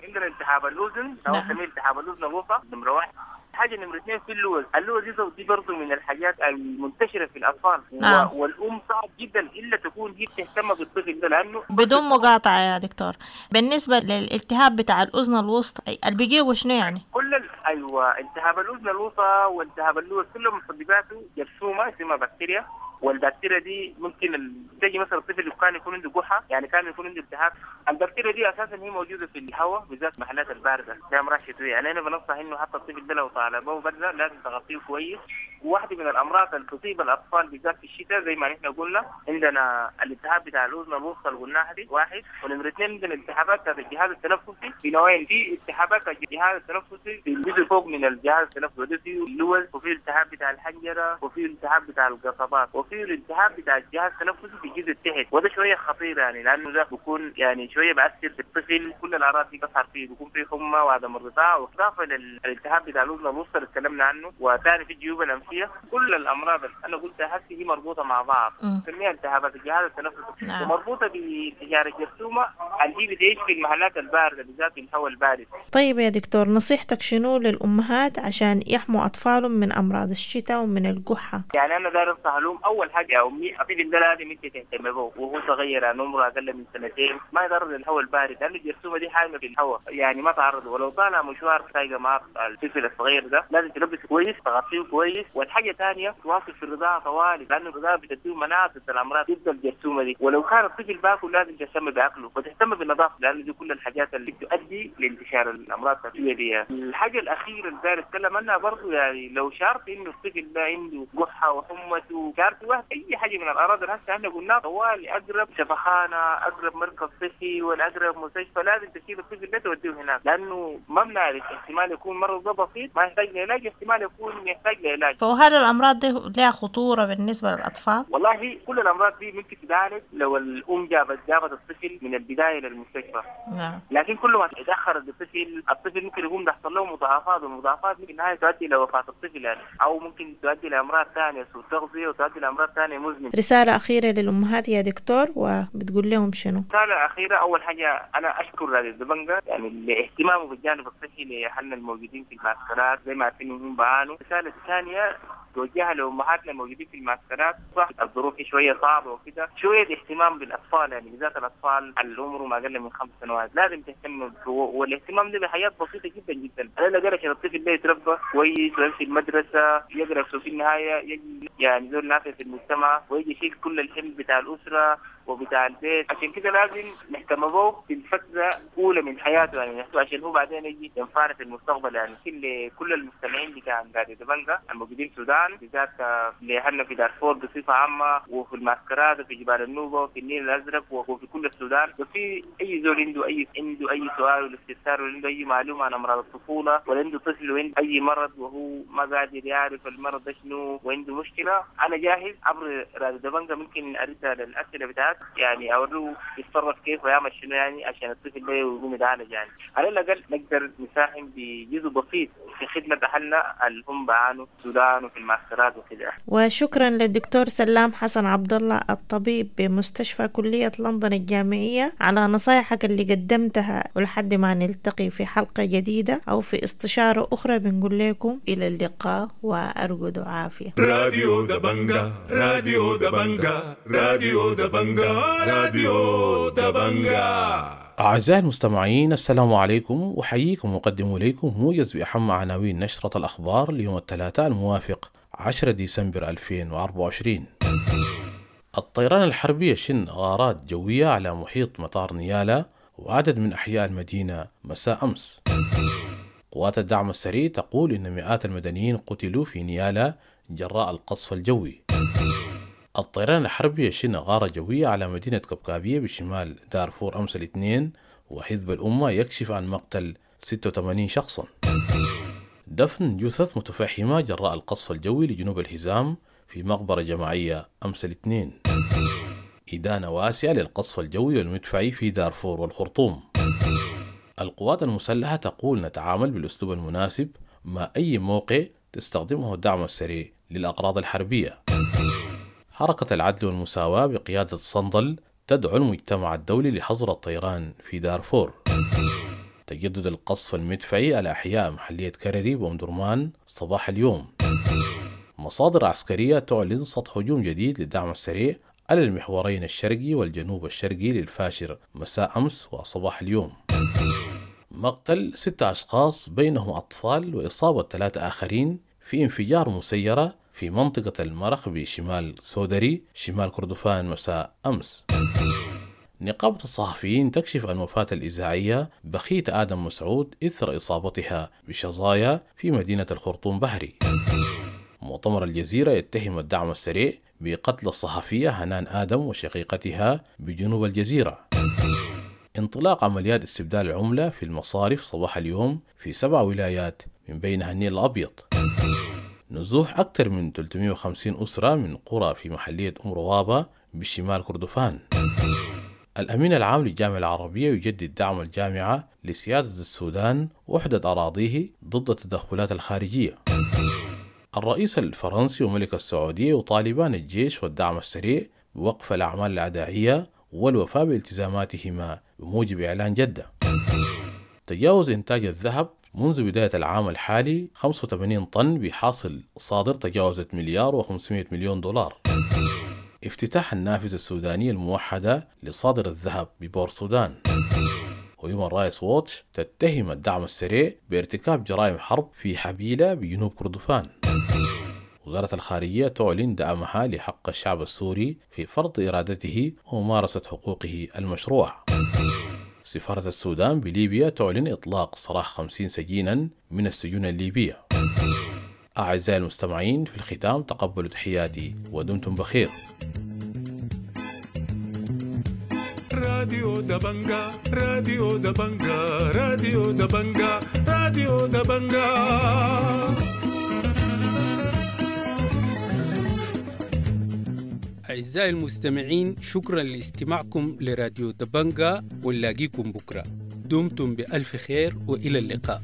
عندنا التهاب الاذن، او نسميه التهاب الاذن الوسطى نمره 1. حاجة نمره 2 في اللوز، اللوز دي برضه من الحاجات المنتشرة في الاطفال. نعم. والام صعب جدا الا تكون هي بتهتم بالطفل ده، لانه بدون مقاطعه يا دكتور، بالنسبة للالتهاب بتاع الاذن الوسطى اللي بيجيبه شنو يعني؟ كل ايوه التهاب الاذن الوسطى والتهاب اللوز كلهم مسبباته جرثومة اسمها بكتيريا، والبكتيريا دي ممكن تجي مثلا الطفل كان يكون عنده قحه، يعني كان يكون عنده التهاب. البكتيريا دي اساسا هي موجودة في الهواء بالذات محلات البارده زي امراض شتوية، يعني انا بنصح انه حتى الطفل ده لو طالبه برده لازم تغطيه كويس. وواحدة من الامراض اللي تصيب الاطفال بالذات في الشتاء زي ما نحن قلنا عندنا الالتهاب بتاع الاذن الوسطى اللي قلناها دي واحد، ونمره 2 عندنا التهابات بتاعت الجهاز التنفسي في نوعين، في التهابات الجهاز التنفسي في الجزء فوق من الجهاز التنفسي وده فيه اللوز، وفي التهاب بتاع الحنجرة، وفي التهاب بتاع القصبات، وفي الالتهاب بتاع الجهاز التنفسي في الجزء التحت، وده شوية خطير يعني لانه ده بيكون يعني شوية بأثر في الطفل، كل الاعراض دي بتظهر فيه، بيكون فيه حمى وعدم الرضاعة، واضافه للالتهاب بتاع الاذن الوسطى اللي تكلمنا عنه، وثاني في الجيوب الانفيه. كل الامراض اللي انا قلتها هسه هي مربوطة مع بعض، نسميها التهابات الجهاز التنفسي. نعم. ومربوطه بانتشار الجرثومه اللي هي بتعيش في المحلات البارده بالذات في الهواء البارد. طيب يا دكتور، نصيحتك شنو للامهات عشان يحموا اطفالهم من امراض الشتاء ومن القحه؟ يعني انا داير انصح لهم اول حاجة يا امي، الطفل ده لازم انت تهتم به وهو صغير، يعني عمره اقل من سنتين، ما يتعرض للهواء البارد لانه الجرثومه دي حامية في الهواء، يعني ما تعرض، ولو طالع مشوار سايقه مع الطفل الصغير ده لازم تلبسه كويس، تغطيه كويس. والحاجة ثانية تواصل في الرضاعة طوالي، لانه الرضاعة بتديه مناعة ضد الامراض ضد الجرثومه دي. ولو كان الطفل باكل لازم تهتم باكله وتهتم بالنظافة، لانه دي كل الحاجات اللي بتؤدي لانتشار الامراض التنفسية دي. الحاجة الاخيرة اللي داير اتكلم عنها برضه، يعني لو شعرت انه الطفل ده عنده قحه وحمته، شعرت واحد اي حاجة من الاعراض اللي هسه احنا قلناها، طوالي اقرب شفخانه، اقرب مركز صحي، ولا اقرب مستشفى، لازم تشيل الطفل ده توديه هناك، لانه ما بنعرف احتمال يكون مرض ده بسيط ما يحتاج لعلاج، احتمال يكون يحتاج لعلاج. فهل الامراض دي لها خطورة بالنسبة للاطفال؟ والله كل الامراض دي ممكن تتعالج لو الام جابت الطفل من البداية للمستشفى. نعم. لكن كل ما تاخر الطفل ممكن يكون يحصل له مضاعفات، والمضاعفات ممكن النهاية تؤدي لوفاه الطفل يعني، او ممكن تؤدي لامراض ثانية، سوء تغذية، وتؤدي لامراض ثانية مزمنة. رسالة اخيرة للامهات يا دكتور، وبتقول لهم شنو؟ رسالة اخيرة، اول حاجة انا اشكر راديو دبنجا يعني لاهتمامه بالجانب الصحي لاهلنا الموجودين في المعسكرات، زي ما عارفين انهم بعانوا. الرسالة الثانية توجهها لامهاتنا الموجودين في المعسكرات، صح الظروف شوية صعبة وكده، شوية اهتمام بالاطفال، يعني بالذات الاطفال اللي عمرهم اقل من 5 سنوات لازم تهتم، والاهتمام ده بحاجات بسيطة جدا جدا. على الاقل عشان الطفل ده يتربى كويس ويمشي المدرسة، يقرا في النهاية يجي يعني زول نافع في المجتمع، ويجي يشيل كل الحمل بتاع الاسرة وبتاع البيت. عشان كده لازم نهتم به في الفترة الاولى من حياته، يعني عشان هو بعدين يجي ينفعنا في المستقبل. يعني كل المستمعين بتاع راديو دبنجا الموجودين في السودان، بالذات لاهلنا في دارفور بصفة عامة، وفي المعسكرات، وفي جبال النوبة، وفي النيل الازرق، وفي كل السودان، وفي اي زول عنده اي سؤال ولا استفسار، ولا عنده اي معلومة عن امراض الطفولة، ولا عنده طفل وعنده اي مرض وهو ما قادر يعرف المرض ده شنو وعنده مشكلة، انا جاهز عبر راديو دبنجا ممكن ارد على الاسئلة بتاعت، يعني اوريه يتصرف كيف ويعمل شنو يعني عشان الطفل ده يقوم يتعالج. يعني على الاقل نقدر نساهم بجزء بسيط في خدمة اهلنا اللي هم بعانوا في السودان وفي المعسكرات وكده. وشكرا للدكتور سلام حسن عبد الله الطبيب بمستشفى كليه لندن الجامعية على نصايحك اللي قدمتها، ولحد ما نلتقي في حلقة جديدة او في استشاره اخرى بنقول لكم الى اللقاء وارجو عافية. راديو دبنجا، راديو دبنجا، راديو دبنجا، راديو دبنجا. أعزائي المستمعين، السلام عليكم، أحييكم وأقدم إليكم موجز بأهم عناوين نشرة الأخبار ليوم الثلاثاء الموافق 10 ديسمبر 2024. الطيران الحربي يشن غارات جوية على محيط مطار نيالا وعدد من أحياء المدينة مساء أمس. قوات الدعم السريع تقول إن مئات المدنيين قتلوا في نيالا جراء القصف الجوي. الطيران الحربي يشن غارة جوية على مدينة كبكابية بشمال دارفور أمس الاثنين، وحزب الأمة يكشف عن مقتل 86 شخصا. دفن جثث متفحمة جراء القصف الجوي لجنوب الحزام في مقبرة جماعية أمس الاثنين. إدانة واسعة للقصف الجوي والمدفعي في دارفور والخرطوم. القوات المسلحة تقول نتعامل بالأسلوب المناسب مع أي موقع تستخدمه الدعم السريع للأغراض الحربية. حركة العدل والمساواة بقيادة صندل تدعو المجتمع الدولي لحظر الطيران في دارفور. تجدد القصف المدفعي على أحياء محلية كرري وأم درمان صباح اليوم. مصادر عسكرية تعلن سطح هجوم جديد للدعم السريع على المحورين الشرقي والجنوب الشرقي للفاشر مساء أمس وصباح اليوم. مقتل 6 أشخاص بينهم أطفال وإصابة 3 آخرين في انفجار مسيرة في منطقة المرخ بشمال سودري شمال كردفان مساء أمس. نقابة الصحفيين تكشف عن وفاة الإذاعية بخيت آدم مسعود إثر إصابتها بشظايا في مدينة الخرطوم بحري. مؤتمر الجزيرة يتهم الدعم السريع بقتل الصحفية هنان آدم وشقيقتها بجنوب الجزيرة. انطلاق عمليات استبدال العملة في المصارف صباح اليوم في 7 ولايات من بينها النيل الأبيض. نزوح أكثر من 350 أسرة من قرى في محلية أم روابة بشمال كردفان. الأمين العام للجامعة العربية يجدد دعم الجامعة لسيادة السودان وحدة أراضيه ضد التدخلات الخارجية. الرئيس الفرنسي وملك السعودية يطالبان الجيش والدعم السريع بوقف الأعمال العدائية والوفاء بالتزاماتهما بموجب إعلان جدة. تجاوز إنتاج الذهب منذ بداية العام الحالي 85 طن بحاصل صادر تجاوزت 1,500,000,000 دولار. افتتاح النافذة السودانية الموحدة لصادر الذهب ببور السودان. وهيومن رايتس ووتش تتهم الدعم السريع بارتكاب جرائم حرب في حبيلة بجنوب كردفان. وزارة الخارجية تعلن دعمها لحق الشعب السوري في فرض إرادته وممارسة حقوقه المشروعة. سفارة السودان بليبيا تعلن إطلاق سراح 50 سجينا من السجون الليبية. أعزائي المستمعين، في الختام تقبلوا تحياتي ودمتم بخير. راديو دبنجا، راديو دبنجا، راديو دبنجا، راديو دبنجا. أعزائي المستمعين، شكرا لاستماعكم لراديو دبنجا، ونلاقيكم بكرة. دمتم بألف خير وإلى اللقاء.